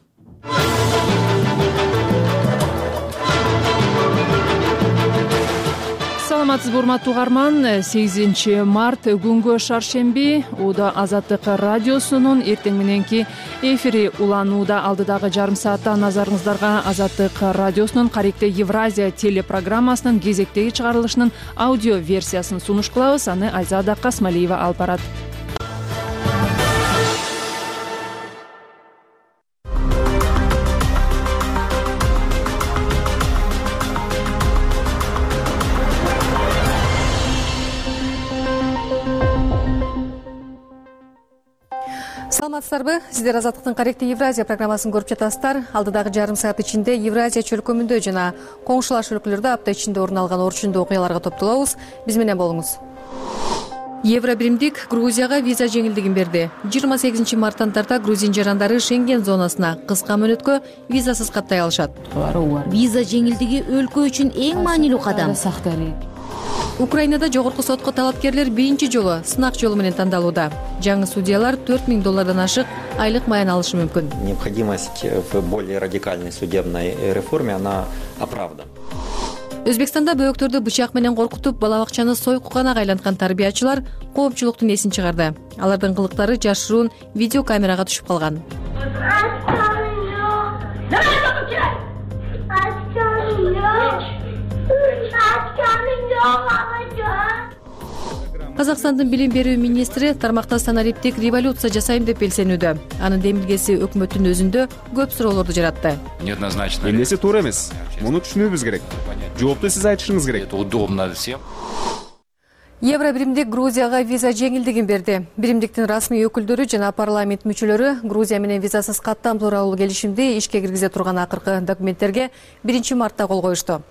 Саламатсызбы урматтуу угарман, сегизинчи март күнгө шаршемби. Уда Азаттык радиосунун эртең мененки эфири уланууда. Алдыдагы жарым саатта назарыңыздарга Азаттык радиосунун Каректе Евразия телепрограммасынын кезектеги чыгарылышынын аудио версиясын сунуш кылабыз. Аны Айзада Касмалиева алып барат. Саламатсыздарбы? Сиздер Азаттыктын Каректе Евразия программасын көрүп жатасыздар. Алдыдагы жарым саат ичинде Евразия чөлкөмүндө жана коңшулаш өлкөлөрдө апта ичинде орун алган орчундуу окуяларга топтолобуз. Биз менен болуңуз. Евробиримдик Грузияга виза жеңилдигин берди. жыйырма сегизинчи марттан тарта грузин жарандары Шенген зонасына кыска мөөнөткө визасыз каттай алышат. Виза жеңилдиги өлкө үчүн эң маанилүү кадам. Украинада жогорку сотко талапкерлер биринчи жолу сынак жолу менен тандалууда. Жаңы судьялар төрт миң доллардан ашык айлык маян алышы мүмкүн. Необходимость в более радикальной судебной реформе она оправдана. Өзбекстанда бөөктөрдү бычак менен коркутуп, бала бакчаны сойкуганага айланткан тарбиячылар коопчулуктун эсин чыгарды. Алардын кылыктары жашыруун видеокамерага түшүп калган. Казакстандын билим берүү министри тармакта санариптик революция жасайм деп белсенүүдө. Анын демилгеси өкмөттүн өзүндө көп суроолорду жаратты. Неоднозначно. Эмнеси туура эмес? Муну түшүнүүбүз керек. Жоопту сиз айтышыңыз керек. Это удобно всем. Евробиримдик Грузияга виза жеңилдигин берди. Биримдиктин расмий өкүлдөрү жана парламент мүчөлөрү Грузия менен визасыз каттам тууралуу келишимди ишке киргизе турган акыркы документтерге биринчи мартта кол коюшту.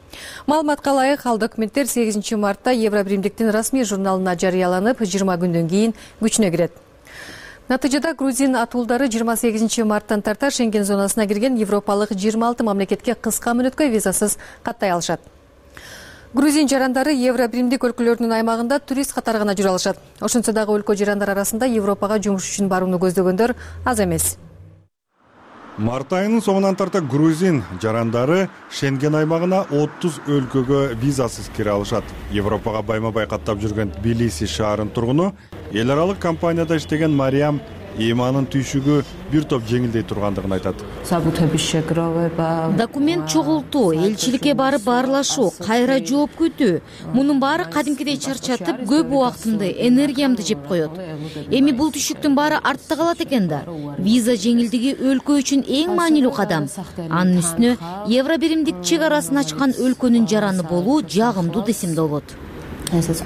Маалыматка ылайык, ал документтер сегизинчи мартта Евробиримдиктин расмий журналына жарыяланып, жыйырма күндөн кийин күчүнө кирет. Натыйжада грузин атуулдары жыйырма сегизинчи марттан тарта Шенген зонасына кирген европалык жыйырма алты мамлекетке кыска мөөнөткө визасыз каттай алышат. Грузин жарандары Евробиримдик өлкөлөрүнүн аймагында турист катары гана жүрө алышат. Ошентсе дагы өлкө жарандар арасында Европага жумуш үчүн барууну көздөгөндөр аз эмес. Март айынын соңунан тарта грузин жарандары Шенген аймагына отуз өлкөгө визасыз кире алышат. Европага байма-бай каттап жүргөн Тбилиси шаарынын тургуну эл аралык компанияда иштеген Мариям эйманын түйшүгү бир топ жеңилдей тургандыгын айтат. Документ чогултуу, элчиликке барып баарлашуу, кайра жооп күтүү. Мунун баары кадимкидей чарчатып, көп убактымды, энергиямды жеп коет. Эми бул түшүктүн баары артта калат экен да. Виза жеңилдиги өлкө үчүн эң маанилүү кадам. Анын үстүнө Евробиримдик чек арасын ачкан өлкөнүн жараны болуу жагымдуу десем да болот. Визасыз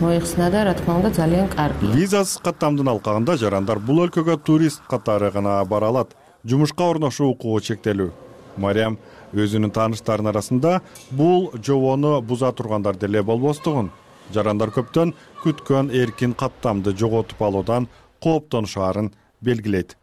каттамдын алкагында жарандар бул өлкөгө турист катары гана бара алат. Жумушка орношуу укугу чектелүү. Мариям өзүнүн тааныштарынын арасында бул жобону буза тургандар деле болбостугун, жарандар көптөн күткөн эркин каттамды жоготуп алуудан кооптонушаарын белгилейт.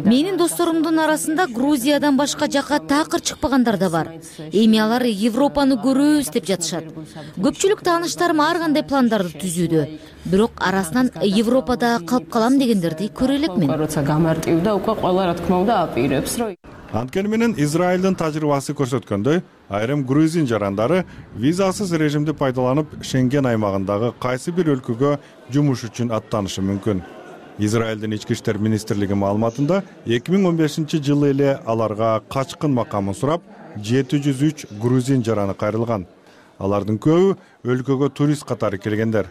Менин досторумдун арасында Грузиядан башка жака такыр чыкпагандар да бар. Эми алар Европаны көрөбүз деп жатышат. Көпчүлүк тааныштарым ар кандай пландарды түзүүдө. Бирок арасынан Европада калып калам дегендерди көрө элекмин. Анткени менен Израилдин тажрыйбасы көрсөткөндөй, айрым грузин жарандары визасыз режимди пайдаланып Шенген аймагындагы кайсы бир өлкөгө жумуш үчүн аттанышы мүмкүн. Израилдин ички иштер министрлиги маалыматында эки миң он бешинчи жылы эле аларга качкын макамын сурап жети жүз үч грузин жараны кайрылган. алардын көбү өлкөгө турист катары келгендер.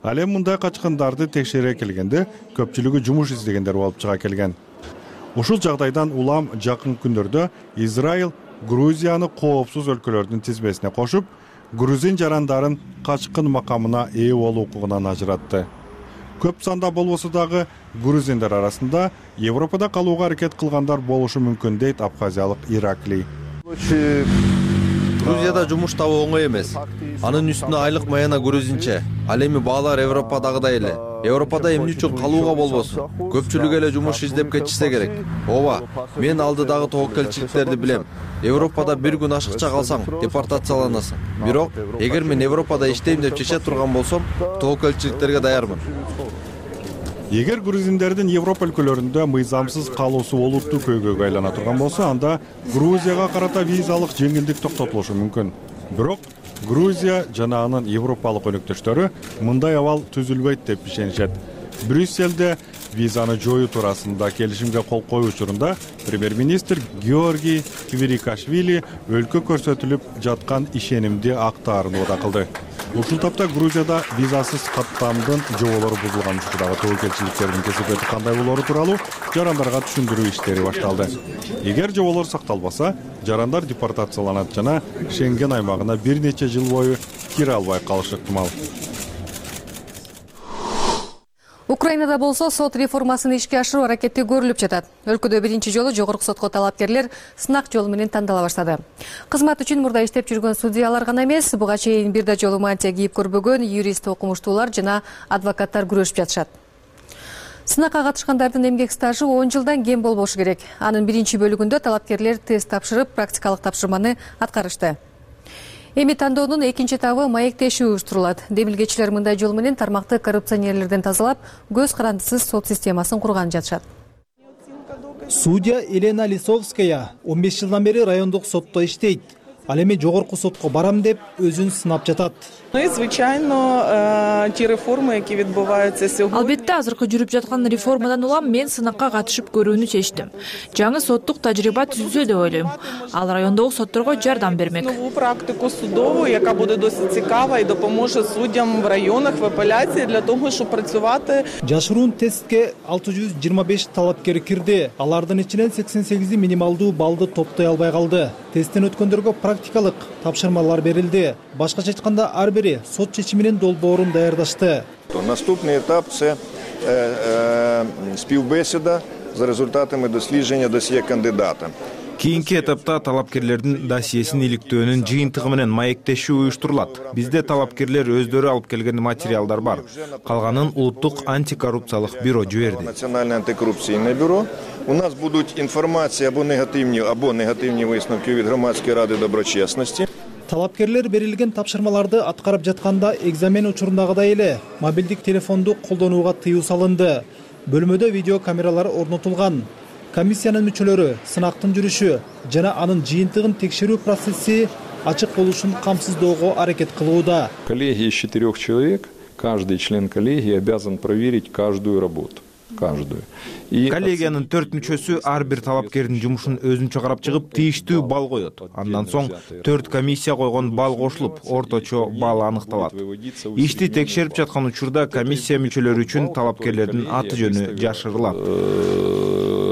Ал эми мындай качкындарды текшере келгенде көпчүлүгү жумуш издегендер болуп чыга келген. Ушул жагдайдан улам жакын күндөрдө Израиль Грузияны коопсуз өлкөлөрдүн тизмесине кошуп, грузин жарандарын качкын макамына ээ болуу укугунан ажыратты. Көп санда болбосо дагы грузиндер арасында Европада калууга аракет кылгандар болушу мүмкүн дейт абхазиялык Ираклий. Грузияда жумуш табуу оңой эмес. Анын үстүнө айлык маяна грузинче. Ал эми баалар Европадагыдай эле. Европада эмне үчүн калууга болбосун? Көпчүлүк эле жумуш издеп кетишсе керек. Ооба, мен алдыдагы тобокелчиликтерди билем. Европада бир күн ашыкча калсаң, депортацияланасың. Бирок, эгер мен Европада иштейм деп чече турган болсом, тобокелчиликтерге даярмын. Эгер грузиндердин Европа өлкөлөрүндө мыйзамсыз калуусу олуттуу көйгөйгө айлана турган болсо, анда Грузияга карата визалык жеңилдик токтотулушу мүмкүн. Бирок Грузия жана анын европалык өнөктөштөрү мындай абал түзүлбөйт деп ишенишет. Брюсселде визаны жоюу туурасында келишимге кол коюу учурунда премьер-министр Георгий Квирикашвили өлкө көрсөтүлүп жаткан ишенимди актаарын убада кылды. Ушул тапта Грузияда визасыз каттамдын жоболору бузулган учурдагы тобокелчиликтердин кесепети кандай болору тууралуу жарандарга түшүндүрүү иштери башталды. Эгер жоболор сакталбаса, жарандар депортацияланат жана Шенген аймагына бир нече жыл бою кире албай калышы ыктымал. Украинада болсо сот реформасын ишке ашыруу аракети көрүлүп жатат. Өлкөдө биринчи жолу жогорку сотко талапкерлер сынак жолу менен тандала баштады. Кызмат үчүн мурда иштеп жүргөн судьялар гана эмес, буга чейин бир да жолу мантия кийип көрбөгөн юрист окумуштуулар жана адвокаттар күрөшүп жатышат. Сынакка катышкандардын эмгек стажы он жылдан кем болбошу керек. Анын биринчи бөлүгүндө талапкерлер тест тапшырып, практикалык тапшырманы аткарышты. Эми тандоонун экинчи этабы маектешүү уюштурулат. Демилгечилер мындай жол менен тармакты коррупционерлерден тазалап, көз карандысыз сот системасын курган жатышат. Судья Елена Лисовская он беш жылдан бери райондук сотто иштейт. Ал эми жогорку сотко барам деп өзүн сынап жатат. Албетте азыркы жүрүп жаткан реформадан улам мен сынакка катышып көрүүнү чечтим. Жаңы соттук тажрыйба түзүлсө деп ойлойм. Ал райондогу сотторго жардам бермек. Практику судову, яка буде досить цікава і допоможе суддям в районах, в апеляції для того, щоб працювати. Жашыруун тестке алты жүз жыйырма беш талапкер кирди. Алардын ичинен сексен сегизи минималдуу баллды топтой албай калды. Тесттен өткөндөргө практикалык тапшырмалар берилди. Башкача айтканда ар бири сот чечиминин долбоорун даярдашты. Наступний етап – це співбесіда за результатами дослідження досьє кандидата. Кийинки этапта талапкерлердин досьесин иликтөөнүн жыйынтыгы менен маектешүү уюштурулат. Бизде талапкерлер өздөрү алып келген материалдар бар. Калганын улуттук антикоррупциялык бюро жиберди. Национальное антикоррупційне бюро. У нас будуть інформація або негативні, або негативні висновки від громадської ради доброчесності. Талапкерлер берилген тапшырмаларды аткарып жатканда экзамен учурундагыдай эле мобилдик телефонду колдонууга тыюу салынды. Бөлмөдө видео камералар орнотулган. Комиссиянын мүчөлөрү сынактын жүрүшү жана анын жыйынтыгын текшерүү процесси ачык болушун камсыздоого аракет кылууда. Коллегия из четырех человек, каждый член коллегии обязан проверить каждую работу. Каждую. Коллегиянын төрт мүчөсү ар бир талапкердин жумушун өзүнчө карап чыгып, тийиштүү балл коет. Андан соң төрт комиссия койгон балл кошулуп, орточо балл аныкталат. Ишти текшерип жаткан учурда комиссия мүчөлөрү үчүн талапкерлердин аты жөнү жашырылат.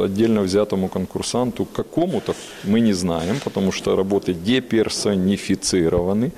Отдельно взятому конкурсанту какому-то мы не знаем, потому что работы деперсонифицированы.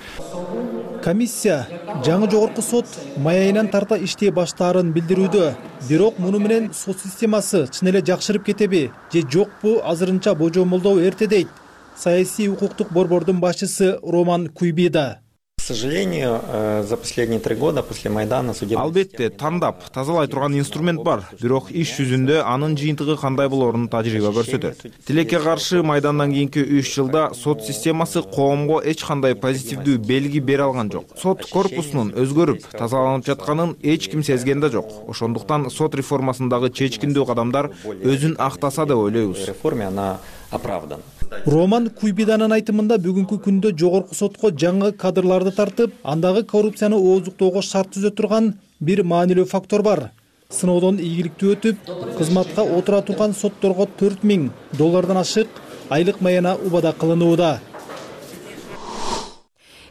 Комиссия жаңы жогорку сот май айынан тарта иштей баштаарын билдирүүдө. Бирок муну менен сот системасы чын эле жакшырып кетеби же жокпу азырынча божомолдоо эрте дейт саясий укуктук борбордун башчысы Роман Куйбида. К сожалению, за последние три года после Майдана судебный... Албетте, тандап, тазалай турган инструмент бар. Бирок иш жүзүндө анын жыйынтыгы кандай болорун тажрыйба көрсөтөт. Тилекке каршы Майдандан кийинки үч жылда сот системасы коомго эч кандай позитивдүү белги бере алган жок. Сот корпусунун өзгөрүп, тазаланып жатканын эч ким сезген да жок. Ошондуктан сот реформасындагы чечкиндүү кадамдар өзүн актаса деп ойлойбуз. Реформа она оправдана. Роман Куйбиданын айтымында бүгүнкү күндө жогорку сотко жаңы кадрларды тартып, андагы коррупцияны ооздуктоого шарт түзө турган бир маанилүү фактор бар. Сыноодон ийгиликтүү өтүп, кызматка отура турган сотторго төрт миң доллардан ашык айлык маяна убада кылынууда.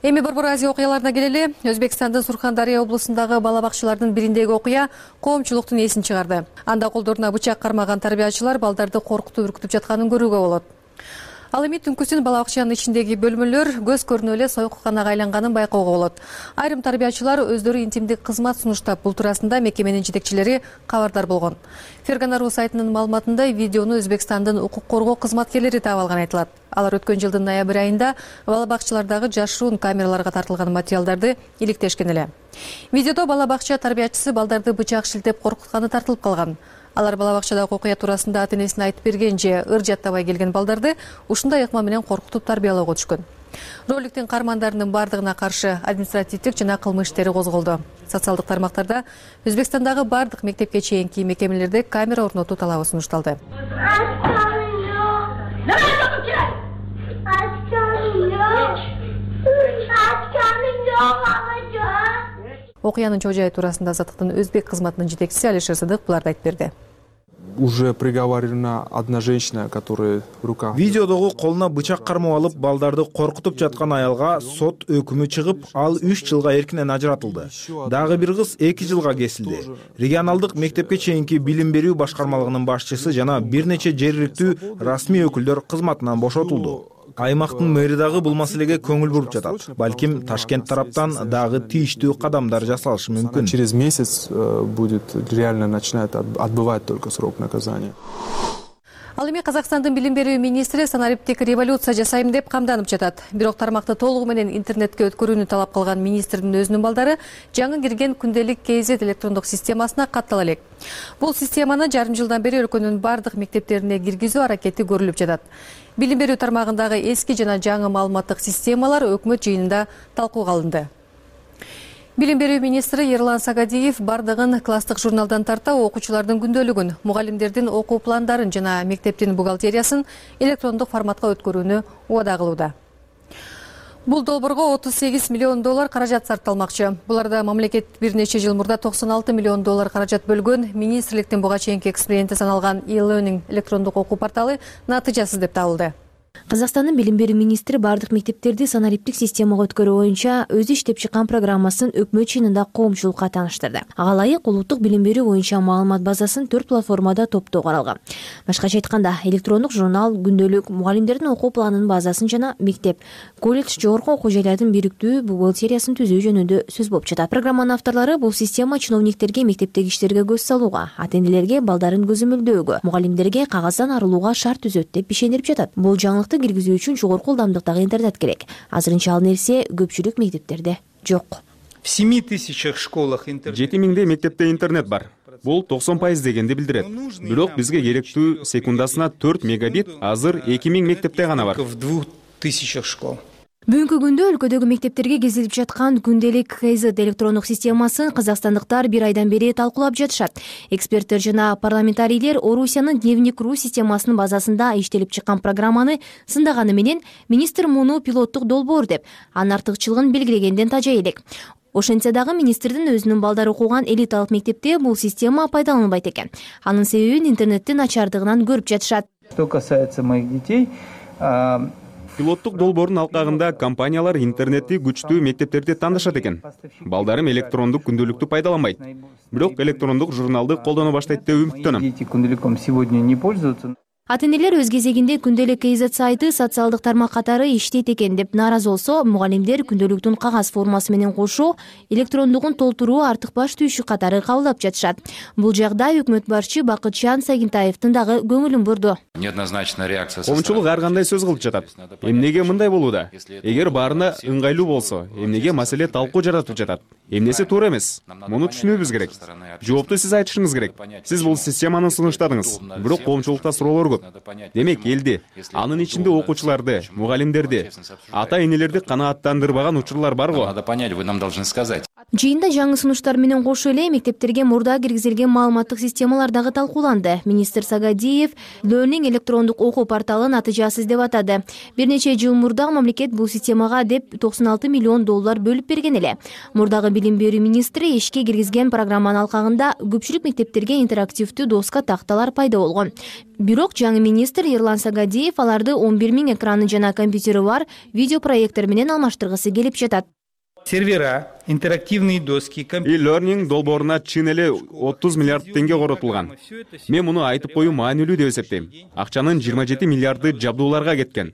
Эми Борбор Азия окуяларына келели. Өзбекстандын Сурхандария облусундагы бала бакчалардын бириндеги окуя коомчулуктун эсин чыгарды. Анда колдоруна бычак кармаган тарбиячылар балдарды коркутуп үркүтүп жатканын көрүүгө болот. Ал эми түнкүсүн бала бакчанын ичиндеги бөлмөлөр көз көрүнө эле союкканага айланганын байкоого болот. Айрым тарбиячылар өздөрү интимдик кызмат сунуштап, бул туурасында мекеменин жетекчилери кабардар болгон. Ферганару сайтынын маалыматында видеону Өзбекстандын укук коргоо кызматкерлери таап алган айтылат. Алар өткөн жылдын ноябрь айында бала бакчалардагы жашыруун камераларга тартылган материалдарды иликтешкен эле. Видеодо бала бакча тарбиячысы балдарды бычак шилтеп коркутканы тартылып калган. Алар бала бакчадагы окуя туурасында ата энесине айтып берген же ыр жаттабай келген балдарды ушундай ыкма менен коркутуп тарбиялоого түшкөн. Роликтин каармандарынын бардыгына каршы административдик жана кылмыш иштери козголду. Социалдык тармактарда Өзбекстандагы бардык мектепке чейинки мекемелерде камера орнотуу талабы сунушталды. Окуянын чоо жайы туурасында Азаттыктын өзбек кызматынын жетекчиси Алишер Сыдык буларды айтып берди. Уже приговорена одна женщина, которая в руках. Видеодогу колуна бычак кармап алып балдарды коркутуп жаткан аялга сот өкүмү чыгып, ал үч жылга эркинен ажыратылды. Дагы бир кыз эки жылга кесилди. Регионалдык мектепке чейинки билим берүү башкармалыгынын башчысы жана бир нече жергиликтүү расмий өкүлдөр кызматынан бошотулду. Аймактын мэри дагы бул маселеге көңүл буруп жатат. Балким Ташкент тараптан дагы тийиштүү кадамдар жасалышы мүмкүн. Через месяц будет реально начинает отбывать только срок наказания. Ал эми Казакстандын билим берүү министри санариптик революция жасайм деп камданып жатат. Бирок тармакты толугу менен интернетке өткөрүүнү талап кылган министрдин өзүнүн балдары жаңы кирген күндөлүк кз электрондук системасына каттала элек. Бул системаны жарым жылдан бери өлкөнүн бардык мектептерине киргизүү аракети көрүлүп жатат. Билим берүү тармагындагы эски жана жаңы маалыматтык системалар өкмөт жыйынында талкууга алынды. Билим берүү министри Ерлан Сагадиев бардыгын класстык журналдан тарта окуучулардын күндөлүгүн, мугалимдердин окуу пландарын жана мектептин бухгалтериясын электрондук форматка өткөрүүнү убада кылууда. Бул долбоорго отуз сегиз миллион доллар каражат сарпталмакчы. Буларда мамлекет бир нече жыл мурда токсон алты миллион доллар каражат бөлгөн. Министрликтин буга чейинки эксперименти саналган e-learning электрондук окуу порталы натыйжасыз деп табылды. Казакстандын билим берүү министри бардык мектептерди санариптик системага өткөрүү боюнча өзү иштеп чыккан программасын өкмөт чыйынында коомчулукка тааныштырды. Ага ылайык улуттук билим берүү боюнча маалымат базасын төрт платформада топтоо каралган. Башкача айтканда, электрондук журнал, күндөлүк, мугалимдердин окуу планынын базасын жана мектеп, колледж, жогорку окуу жайлардын бириктүү бухгалтериясын түзүү жөнүндө сөз болуп жатат. Программанын авторлору бул система чиновниктерге мектептеги иштерге көз салууга, ата энелерге балдарын көзөмөлдөөгө, мугалимдерге кагаздан арылууга шарт түзөт деп ишенип жатат. Бул жаңылыкты киргизүү үчүн жогорку ылдамдыктагы интернет керек. Азырынча ал нерсе көпчүлүк мектептерде жок. В семи тысячах школах интернет. жети миңдей мектепте интернет бар. Бул токсон пайыз дегенди билдирет. Бирок бизге керектүү секундасына төрт мегабит азыр эки миң мектепте гана бар. В двух тысячах школ. Бүгүнкү күндө өлкөдөгү мектептерге кезилип жаткан күндөлүк кз электрондук системасын казакстандыктар бир айдан бери талкуулап жатышат. Эксперттер жана парламентарийлер Орусиянын Дневник.ру системасынын базасында иштелип чыккан программаны сындаганы менен министр муну пилоттук долбоор деп, анын артыкчылыгын белгилегенден тажай элек. Ошентсе дагы министрдин өзүнүн балдары окуган элиталык мектепте бул система пайдаланылбайт экен. Анын себебин интернеттин начардыгынан көрүп жатышат. Что касается моих детей, пилоттук долбоордун алкагында компаниялар интернетти күчтүү мектептерди тандашат экен. Балдарым электрондук күндөлүктү пайдаланбайт. Бирок электрондук журналды колдоно баштайт деп үмүттөнөм. Дети күндөлүком сегодня не пользуются. Ата энелер өз кезегинде күндөлүк кз сайты социалдык тармак катары иштейт экен деп нааразы болсо, мугалимдер күндөлүктүн кагаз формасы менен кошо электрондугун толтуруу артык баш түйүшү катары кабылдап жатышат. Бул жагдай өкмөт башчы Бакытжан Сагинтаевдин дагы көңүлүн бурду. Неоднозначная реакция. Коомчулук ар кандай сөз кылып жатат. Эмнеге мындай болууда? Эгер баарына ыңгайлуу болсо, эмнеге маселе талкуу жаратып жатат? Эмнеси туура эмес? Муну түшүнүүбүз керек. Жоопту сиз айтышыңыз керек. Сиз бул системаны сунуштадыңыз, бирок коомчулукта суроолор көп. Демек, элди, анын ичинде окуучуларды, мугалимдерди, ата-энелерди канааттандырбаган учурлар бар го. Надо понять, вы нам должны сказать. Жыйында жаңы сунуштар менен кошо эле мектептерге мурда киргизилген маалыматтык системалар дагы талкууланды. Министр Сагадиев Learning электрондук окуу порталын натыйжасыз деп атады. Бир нече жыл мурда мамлекет бул системага деп токсон алты миллион доллар бөлүп берген эле. Мурдагы билим берүү министри ишке киргизген программанын алкагында көпчүлүк мектептерге интерактивдүү доска такталар пайда болгон. Бирок жаңы министр Эрлан Сагадиев аларды он бир миң экраны жана компьютери бар видеопроектор менен алмаштыргысы келип жатат. Сервера, интерактивные доски, e-learning долбооруна чын эле отуз миллиард теңге коротулган. Мен муну айтып коюу маанилүү деп эсептейм. Акчанын жыйырма жети миллиарды жабдууларга кеткен.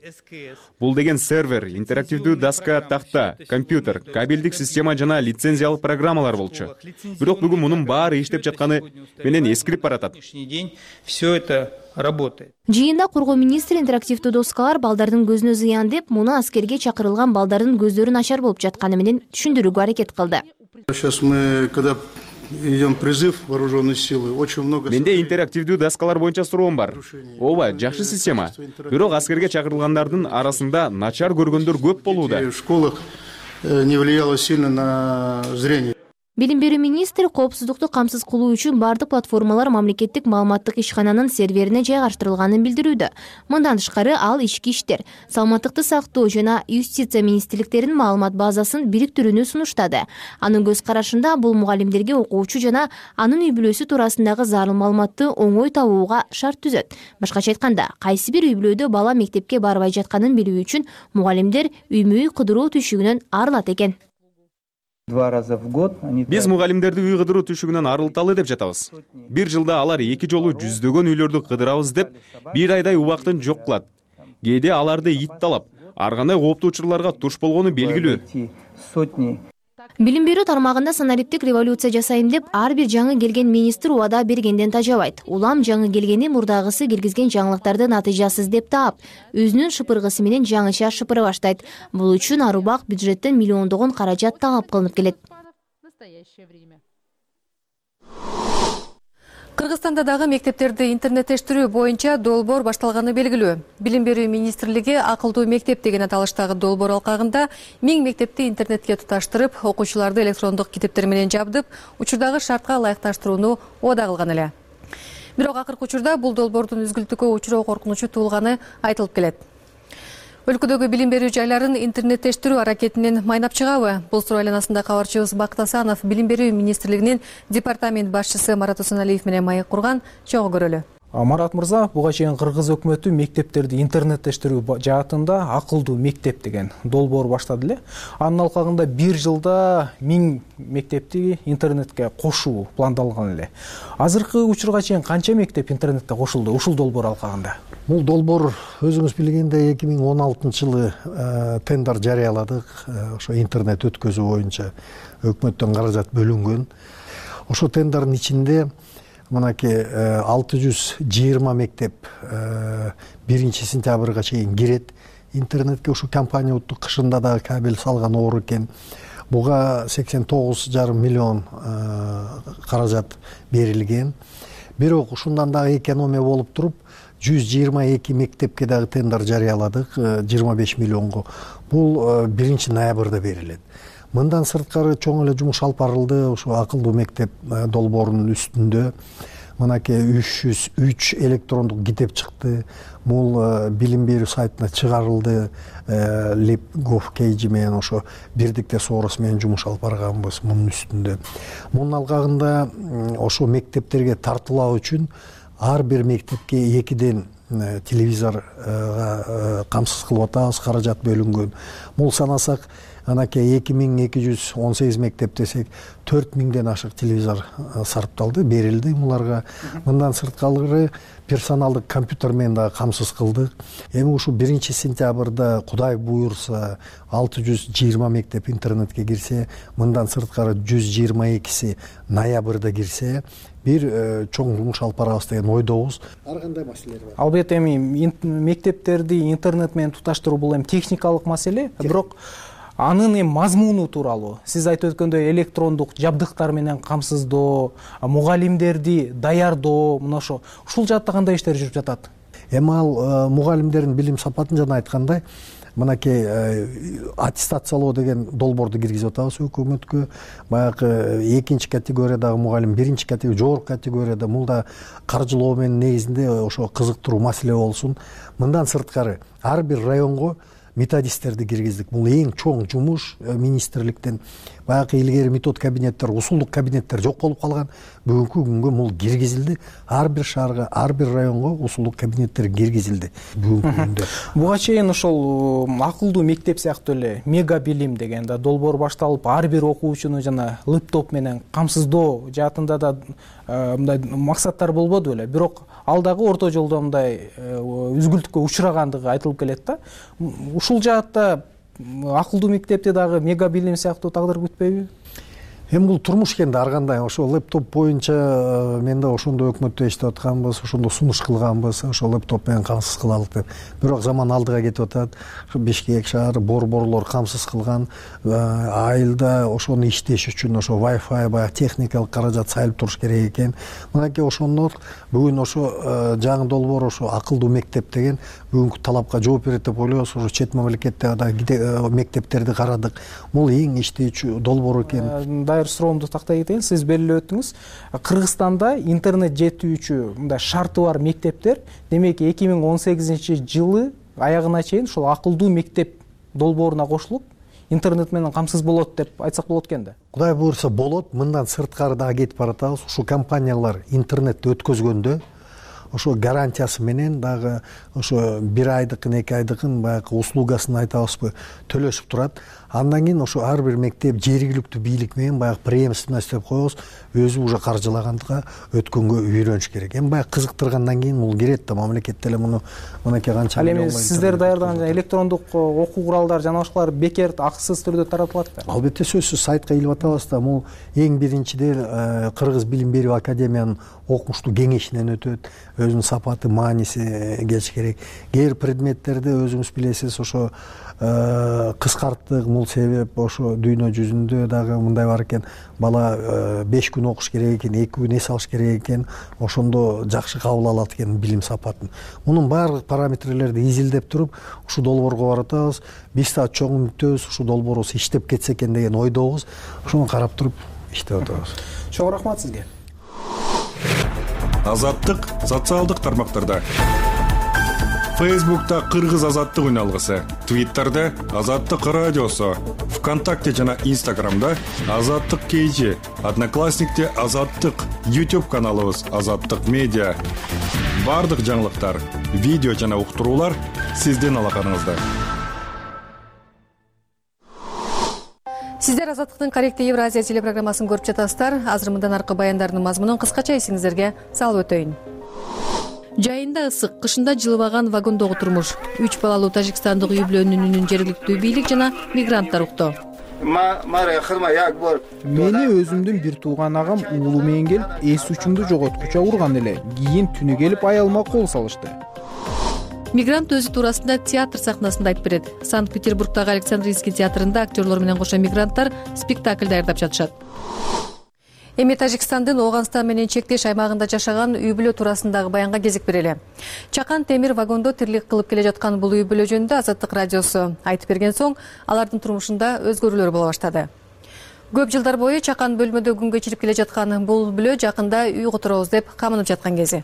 Бул деген сервер, интерактивдүү доска, тахта, компьютер, кабелдик система жана лицензиялык программалар болчу. Бирок бүгүн мунун баары иштеп жатканы менен эскирип баратат. Все это работает. Жыйында коргоо министри интерактивдүү доскалар балдардын көзүнө зыян деп, муну аскерге чакырылган балдардын көздөрү начар болуп жатканы менен түшүндүрүүгө аракет кылды. Сейчас мы, когда идем призыв вооруженной силы, очень много... Менде интерактивдүү доскалар боюнча суроом бар. Ооба, жакшы система. Бирок аскерге чакырылгандардын арасында начар көргөндөр көп болууда. В школах не влияло сильно на зрение. Билим берүү министри коопсуздукту камсыз кылуу үчүн бардык платформалар мамлекеттик маалыматтык ишкананын серверине жайгаштырылганын билдирүүдө. Мындан тышкары ал ички иштер, саламаттыкты сактоо жана юстиция министрликтеринин маалымат базасын бириктирүүнү сунуштады. Анын көз карашында бул мугалимдерге окуучу жана анын үй бүлөсү туурасындагы зарыл маалыматты оңой табууга шарт түзөт. Башкача айтканда, кайсы бир үй бүлөдө бала мектепке барбай жатканын билүү үчүн мугалимдер үймө үй кыдыруу түшүгүнөн арылат экен. Два раза в год они... Биз мугалимдерди үй кыдыруу түшүгүнөн арылталы деп жатабыз. Бир жылда алар эки жолу жүздөгөн үйлөрдү кыдырабыз деп бир айдай убактын жок кылат. Кээде аларды ит талап, ар кандай кооптуу учурларга туш болгону белгилүү. Сотни. Билим берүү тармагында санариптик революция жасайм деп ар бир жаңы келген министр убада бергенден тажабайт. Улам жаңы келгени мурдагысы киргизген жаңылыктарды натыйжасыз деп таап, өзүнүн шыпыргысы менен жаңыча шыпыра баштайт. Бул үчүн ар убак бюджеттен миллиондогон каражат талап кылынып келет. Кыргызстанда дагы мектептерди интернеттештирүү боюнча долбоор башталганы белгилүү. Билим берүү министрлиги акылдуу мектеп деген аталыштагы долбоор алкагында миң мектепти интернетке туташтырып, окуучуларды электрондук китептер менен жабдып, учурдагы шартка ылайыкташтырууну убада кылган эле. Бирок акыркы учурда бул долбоордун үзгүлтүккө учуроо коркунучу туулганы айтылып келет. Өлкөдөгү билим берүү жайларын интернеттештирүү аракетинен майнап чыгабы? Бул суроо айланасында кабарчыбыз Бакыт Асанов Билим берүү министрлигинин департамент башчысы Марат Усаналиев менен маек курган. Чогуу көрөлү. Марат мырза, буга чейин Кыргыз өкмөтү мектептерди интернеттештирүү жаатында акылдуу мектеп деген долбоор баштады эле. Анын алкагында бир жылда миң мектепти интернетке кошуу пландалган эле. Азыркы учурга чейин канча мектеп интернетке кошулду ушул долбоор алкагында? Бул долбоор өзүңүз билгендей эки миң он алтынчы жылы тендер жарыяладык. Ошо интернет өткөзүү боюнча өкмөттөн каражат бөлүнгөн. Ошо тендердин ичинде мынакей алты жүз жыйырма мектеп биринчи сентябрга чейин кирет интернетке. Ушу компания уттук кышында дагы кабель салган оор экен. Буга сексен тогуз жарым миллион каражат берилген. Бирок ушундан дагы экономия болуп туруп жүз жыйырма эки мектепке дагы тендер жарыяладык жыйырма беш миллионго. Бул биринчи ноябрда берилет. Мындан сырткары чоң эле жумуш алып барылды. Ушу акылдуу мектеп долбоорунун үстүндө мынакей үч жүз үч электрондук китеп чыкты. Бул билим берүү сайтына чыгарылды. LibGov.kg менен ошо бирдикте соорус менен жумуш алып барганбыз мунун үстүндө. Мунун алкагында ошо мектептерге тартуулоо үчүн ар бир мектепке экиден телевизорго камсыз кылып атабыз, каражат бөлүнгөн. Бул санасак анакей эки миң эки жүз он сегиз мектеп десек төрт миңден ашык телевизор сарпталды, берилди буларга. Мындан сырткары персоналдык компьютер менен дагы камсыз кылдык. Эми ушу биринчи сентябрда Кудай буйрса алты жүз жыйырма мектеп интернетке кирсе, мындан сырткары жүз жыйырма экиси ноябрда кирсе, бир чоң жумуш алып барабыз деген ойдобуз. Ар кандай маселелер бар? Албетте эми мектептерди интернет менен туташтыруу бул эми техникалык маселе, бирок анын эми мазмуну тууралуу сиз айтып өткөндөй электрондук жабдыктар менен камсыздоо, мугалимдерди даярдоо, мына ошо ушул жаатта кандай иштер жүрүп жатат? Эми ал мугалимдердин билим сапатын жана айткандай мынакей аттестациялоо деген долбоорду киргизип атабыз өкмөткө. Баягы экинчи категориядагы мугалим, биринчи категория, жогорку категорияда бул да каржылоо менен негизинде ошо кызыктыруу маселе болсун. Мындан сырткары ар бир районго методисттерди киргиздик. Бул эң чоң жумуш министрликтен. баягы илгери метод кабинеттер, усулдук кабинеттер жок болуп калган. Бүгүнкү күнгө бул киргизилди. Ар бир шаарга, ар бир районго усулдук кабинеттер киргизилди бүгүнкү күндө. Буга чейин ошол акылдуу мектеп сыяктуу эле мега билим деген да долбоор башталып, ар бир окуучуну жана лэптоп менен камсыздоо жаатында да мындай максаттар болбоду беле. Бирок ал дагы орто жолдо мындай үзгүлтүккө учурагандыгы айтылып келет да. Ушул жаатта акылдуу мектепти дагы мега билим сыяктуу тагдыр күтпөйбү? Эми бул турмуш экен да, ар кандай. Ошо лэптоп боюнча мен да ошондо өкмөттө иштеп атканбыз, ошондо сунуш кылганбыз, ошо лэптоп менен камсыз кылалык деп. Бирок заман алдыга кетип атат. Ошо Бишкек шаары борборлор камсыз кылган. Айылда ошону иштеш үчүн ошо Wi-Fi баягы техникалык каражат сайылып туруш керек экен. Мынакей ошондо бүгүн ошо жаңы долбоор ошо акылдуу мектеп деген бүгүнкү талапка жооп берет деп ойлойбуз. Ошо чет мамлекетте да мектептерди карадык. Бул эң иштечү долбоор экен. Суроомду тактай кетейин. Сиз белгилеп өттүңүз. Кыргызстанда интернет жетүүчү мындай шарты бар мектептер, демек эки миң он сегизинчи жылы аягына чейин ушул акылдуу мектеп долбооруна кошулуп, интернет менен камсыз болот деп айтсак болот экен да. Кудай буйрса болот. Мындан сырткары дагы кетип баратабыз. Ушул компаниялар интернетти өткөзгөндө ошо гарантиясы менен дагы ошо бир айдыкын, эки айдыкын баягы услугасын айтабызбы, төлөшүп турат. Андан кийин ошо ар бир мектеп жергиликтүү бийлик менен баягы преемственность деп коебуз, өзү уже каржылаганга өткөнгө үйрөнүш керек. Эми баягы кызыктыргандан кийин бул кирет да, мамлекет деле муну мынакей канча. Ал эми сиздер даярдаган электрондук окуу куралдары жана башкалар бекер акысыз түрдө таратылат да? Албетте сөзсүз сайтка илип атабыз да. Бул эң биринчиден Кыргыз билим берүү академиянын окумуштуу кеңешинен өтөт. Өзүнүн сапаты, мааниси келиш керек. Кээ бир предметтерди өзүңүз билесиз, ошо кыскарттык. Бул себеп ошо дүйнө жүзүндө дагы мындай бар экен. Бала беш күн окуш керек экен, эки күн эс алыш керек экен. Ошондо жакшы кабыл алат экен билим сапатын. Мунун баардык параметрлерди изилдеп туруп, ушул долбоорго баратабыз. Биз да чоң үмүттөбүз, ушул долбоорубуз иштеп кетсе экен деген ойдобуз. Ошону карап туруп иштеп атабыз. Чоң рахмат сизге. Азаттык социалдык тармактарда. Фейсбукта Кыргыз азаттык үналгысы, Твиттерде Азаттык радиосу, ВКонтакте жана Инстаграмда Азаттык кейжи, Одноклассникте Азаттык, YouTube каналыбыз Азаттык медиа. Бардык жаңылыктар, видео жана уктуруулар сиздин алаканыңызда. Сиздер Азаттыктын корректив Евразия телепрограммасын көрүп жатасыздар. Азыр мындан аркы баяндардын мазмунун кыскача эсиңиздерге салып өтөйүн. Жайында ысык, кышында жылыбаган вагондогу турмуш. Үч балалуу тажикстандык үй бүлөнүн үнүн жергиликтүү бийлик жана мигранттар укту. Мени өзүмдүн бир тууган агам уулу менен келип, эс учумду жоготкуча урган эле. Кийин түнү келип аялыма кол салышты. Мигрант өзү туурасында театр сахнасында айтып берет. Санкт-Петербургдагы Александрийский театрында актерлор менен кошо мигранттар спектакль даярдап жатышат. Эми Тажикстандын Ооганстан менен чектеш аймагында жашаган үй бүлө туурасындагы баянга кезик берели. Чакан темир вагондо тирлик кылып келе жаткан бул үй бүлө жөнүндө Азаттык радиосу айтып берген соң, алардын турмушунда өзгөрүүлөр боло баштады. Көп жылдар бою Чакан бөлмөдө күн кечирип келе жаткан бул бүлө жакында үй которобуз деп камынып жаткан кези.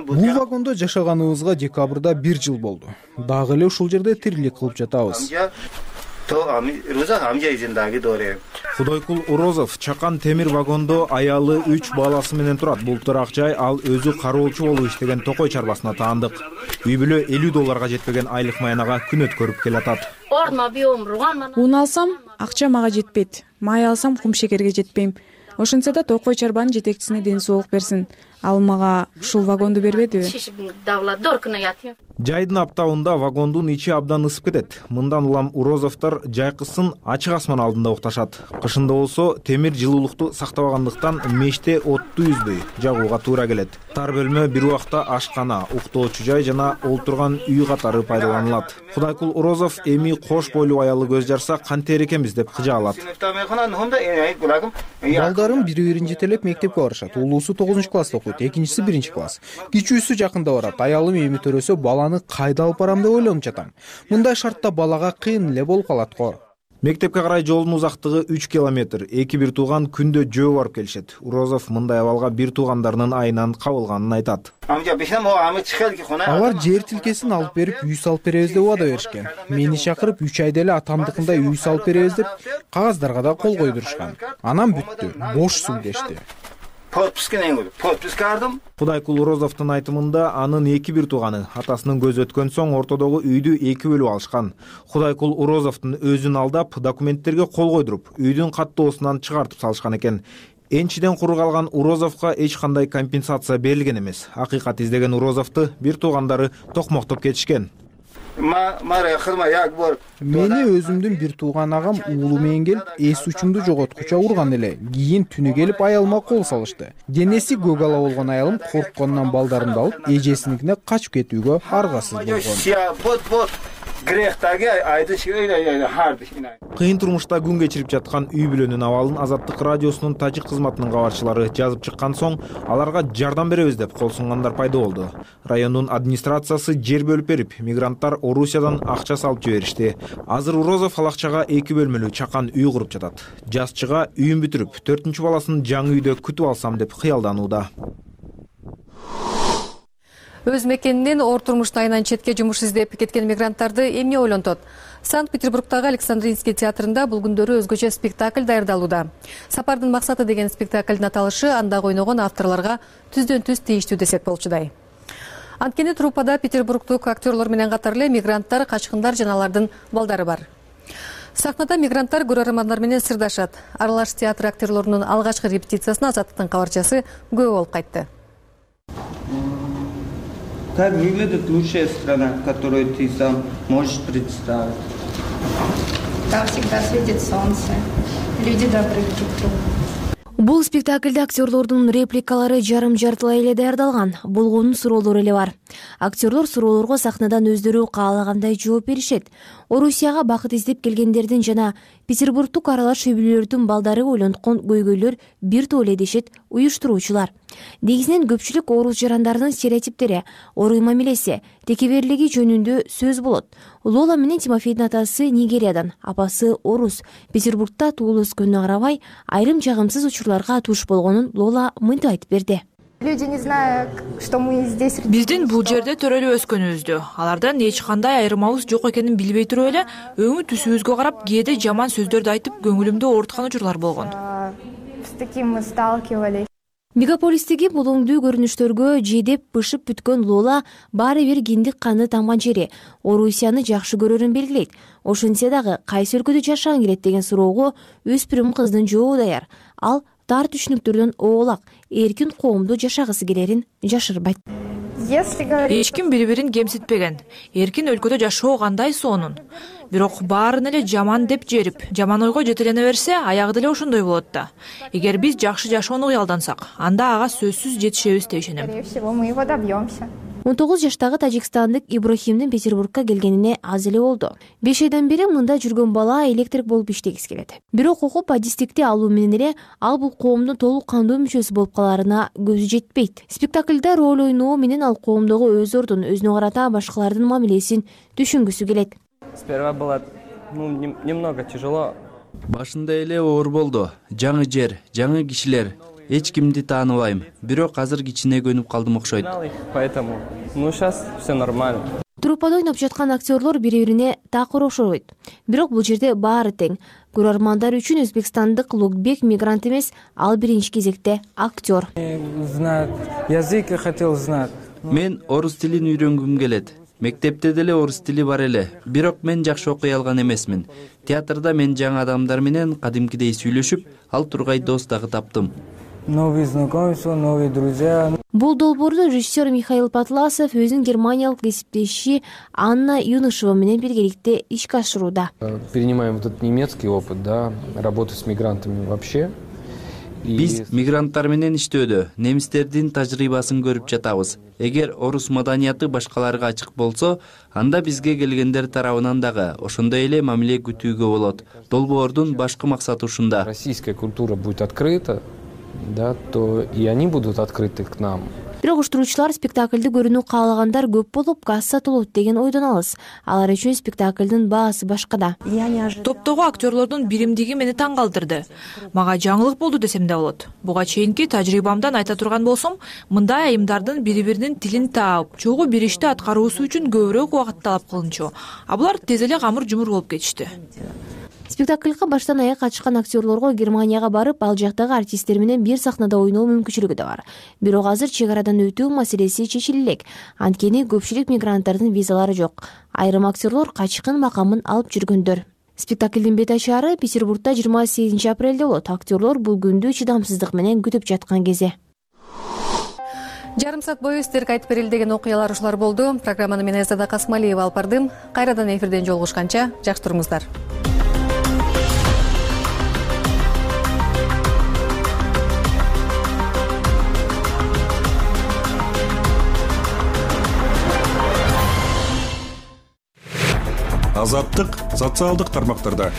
Бул вагондо жашаганыбызга декабрда бир жыл болду. Дагы эле ушул жерде тирлик кылып жатабыз. Кудойкул Урозов Чакан темир вагондо аялы үч баласы менен турат. Бултур Акжай ал өзү кароолчу болуп иштеген токой чарбасына таандык. Үй бүлө элүү долларга жетпеген айлык маянага күн өткөрүп келатат. Ун алсам, акча мага жетпейт. Май алсам, кумшекерге жетпейм. Ошентсе да токой чарбанын жетекчисине ден соолук берсин. Ал мага ушул вагонду бербедиби? Жайдын аптабында вагондун ичи абдан ысып кетет. Мындан улам Урозовдор жайкысын ачык асман алдында укташат. Кышында болсо темир жылуулукту сактабагандыктан меште отту үзбөй жагууга туура келет. Тар бөлмө бир убакта ашкана, уктоочу жай жана олтурган үй катары пайдаланылат. Кудайкул Урозов эми кош бойлуу аялы көз жарса кантер экенбиз деп кыжаалат. Балдарым бири-бирин жетелеп мектепке барышат. Улуусу тогузунчу класста окуйт, экинчиси биринчи класс. Кичүүсү жакында барат. Аялым эми төрөсө баланы кайда алып барам деп ойлонуп жатам. Мындай шартта балага кыйын эле болуп калат го. Мектепке карай жолдун узактыгы үч километр. Эки бир тууган күндө жөө барып келишет. Урозов мындай абалга бир туугандарынын айынан кабылганын айтат. Алар жер тилкесин алып берип, үй салып беребиз деп убада беришкен. Мени чакырып үч айда эле атамдыкындай үй салып беребиз деп кагаздарга да кол койдурушкан. Анан бүттү, бош суу кечти. Кудайкул Урозовдун айтымында анын эки бир тууганы атасынын көзү өткөн соң ортодогу үйдү эки бөлүп алышкан. Кудайкул Урозовдун өзүн алдап, документтерге кол койдуруп, үйдүн каттоосунан чыгартып салышкан экен. Энчиден куру калган Урозовго эч кандай компенсация берилген эмес. Акыйкат издеген Урозовду бир туугандары токмоктоп кетишкен. Мени өзүмдүн бир тууган агам уулу менен келип, эс учумду жоготкуча урган эле. Кийин түнү келип аялыма кол салышты. Денеси көк ала болгон аялым коркконунан балдарымды алып, эжесиникине качып кетүүгө аргасыз болгон. Кыйын турмушта күн кечирип жаткан үй бүлөнүн абалын Азаттык радиосунун тажик кызматынын кабарчылары жазып чыккан соң, аларга жардам беребиз деп кол сунгандар пайда болду. Райондун администрациясы жер бөлүп берип, мигранттар Орусиядан акча салып жиберишти. Азыр Урозов ал акчага эки бөлмөлүү чакан үй куруп жатат. Жазчыга үйүн бүтүрүп, төртүнчү баласын жаңы үйдө күтүп алсам деп кыялданууда. Өз мекенинен оор турмуштун айынан четке жумуш издеп кеткен мигранттарды эмне ойлонтот? Санкт-Петербургдагы Александринский театрында бул күндөрү өзгөчө спектакль даярдалууда. Сапардын максаты деген спектаклдын аталышы андагы ойногон авторлорго түздөн түз тийиштүү десек болчудай. Анткени труппада петербургдук актерлор менен катар эле мигранттар, качкындар жана алардын балдары бар. Сахнада мигранттар көрөрмандар менен сырдашат. Аралаш театр актерлорунун алгачкы репетициясына Азаттыктын кабарчасы күбө болуп кайтты. Как выглядит лучшая страна, которую ты сам можешь представить? Там всегда светит солнце, люди добрые друг к другу. Бул спектакльде актерлордун репликалары жарым-жартылай эле даярдалган, болгонун суроолору эле бар. Актерлор суроолорго сахнадан өздөрү каалагандай жооп беришет. Орусияга бакыт издеп келгендердин жана Петербургдук аралаш үй бүлөлөрдүн балдары ойлонткон көйгөйлөр бир топ эле дешет уюштуруучулар. Негизинен көпчүлүк орус жарандардын стереотиптери, оруй мамилеси, текеберлиги жөнүндө сөз болот. Лола менен Тимофейдин атасы Нигериядан, апасы орус. Петербургда туулуп өскөнүнө карабай, айрым жагымсыз учурларга туш болгонун Лола мынтип айтып берди. Люди не знают, что мы здесь. Биздин бул жерде төрөлүп өскөнүбүздү, алардан эч кандай айырмабыз жок экенин билбей туруп эле, өңү түсүбүзгө карап кээде жаман сөздөрдү айтып, көңүлүмдү ооруткан учурлар болгон. С таким мы сталкивались. Мегаполистеги булуңдуу көрүнүштөргө жедеп бышып бүткөн Лола баары бир киндик каны тамган жери, Орусияны жакшы көрөрүн белгилейт. Ошентсе дагы кайсы өлкөдө жашагың келет деген суроого өспүрүм кыздын жообу даяр. Ал тар түшүнүктөрдөн оолак, эркин коомдо жашагысы келерин жашырбайт. Эч ким бири-бирин кемситпеген. Эркин өлкөдө жашоо кандай сонун. Бирок баарын эле жаман деп жерип, жаман ойго жетелене берсе, аягы деле ошондой болот да. Эгер биз жакшы жашоону кыялдансак, анда ага сөзсүз жетишебиз деп ишенем. Скорее всего, мы его добьемся. он тогуз жаштагы тажикстандык Иброхимдин Петербургка келгенине аз эле болду. беш айдан бери мында жүргөн бала электрик болуп иштегиси келет. Бирок окуп адистикти алуу менен эле ал бул коомдун толук кандуу мүчөсү болуп калаарына көзү жетпейт. Спектакльда роль ойноо менен ал коомдогу өз ордун, өзүнө карата башкалардын мамилесин түшүнгүсү келет. Сперва было ну немного тяжело. Башында эле оор болду. Жаңы жер, жаңы кишилер. Эч кимди тааныбайм. Бирок азыр кичине көнүп калдым окшойт. Поэтому ну сейчас все нормально. Труппада ойноп жаткан актерлор бири-бирине такыр окшойт. Бирок бул жерде баары тең. Көрөрмандар үчүн өзбекстандык Лукбек мигрант эмес, ал биринчи кезекте актер. Знать язык я хотел знать. Мен орус тилин үйрөнгүм келет. Мектепте деле орус тили бар эле. Бирок мен жакшы окуй алган эмесмин. Театрда мен жаңы адамдар менен кадимкидей сүйлөшүп, ал тургай дос дагы таптым. Новые знакомства, новые друзья. Бул долбоорду режиссер Михаил Патласов өзүнүн германиялык кесиптеши Анна Юнышева менен биргеликте ишке ашырууда. Перенимаем этот немецкий опыт, да, работы с мигрантами вообще. Биз мигранттар менен иштөөдө немистердин тажрыйбасын көрүп жатабыз. Эгер орус маданияты башкаларга ачык болсо, анда бизге келгендер тарабынан дагы ошондой эле мамиле күтүүгө болот. Долбоордун башкы максаты ушунда. Российская культура будет открыта, да, то и они будут открыты к нам. бирок уштуруучулар спектакльди көрүүнү каалагандар көп болуп газ сатылот деген ойдон алыс. Алар үчүн спектаклдын баасы башкада. Топтогу актерлордун биримдиги мени таң калтырды. Мага жаңылык болду десем да болот. Буга чейинки тажрыйбамдан айта турган болсом, мындай айымдардын бири-биринин тилин таап, чогуу бир ишти аткаруусу үчүн көбүрөөк убакыт талап кылынчу. А булар тез эле камыр-жумур болуп кетишти. Спектакльга баштан аяк катышкан актерлорго Германияга барып, ал жактагы артисттер менен бир сахнада ойноо мүмкүнчүлүгү да бар. Бирок азыр чек арадан өтүү маселеси чечиле элек. Анткени көпчүлүк мигранттардын визалары жок. Айрым актерлор качкын макамын алып жүргөндөр. Спектаклдин бет ачаары Петербургда жыйырма сегизинчи апрелде болот. Актерлор бул күндү чыдамсыздык менен күтүп жаткан кези. Жарым саат бою сиздерге айтып берилдеген окуялар ушулар болду. Программаны мен Эзада Касмалиева алып бардым. Кайрадан эфирден жолугушканча жакшы туруңуздар. Азаттык социалдык тармактарда.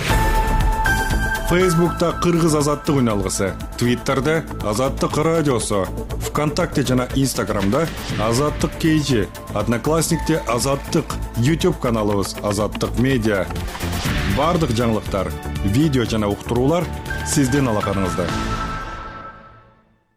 Фейсбукта Кыргыз азаттык үналгысы, Твиттерде Азаттык радиосу, ВКонтакте жана Инстаграмда Азаттык кейжи, Одноклассникте Азаттык, YouTube каналыбыз Азаттык медиа. Бардык жаңылыктар, видео жана уктуруулар сиздин алаканыңызда.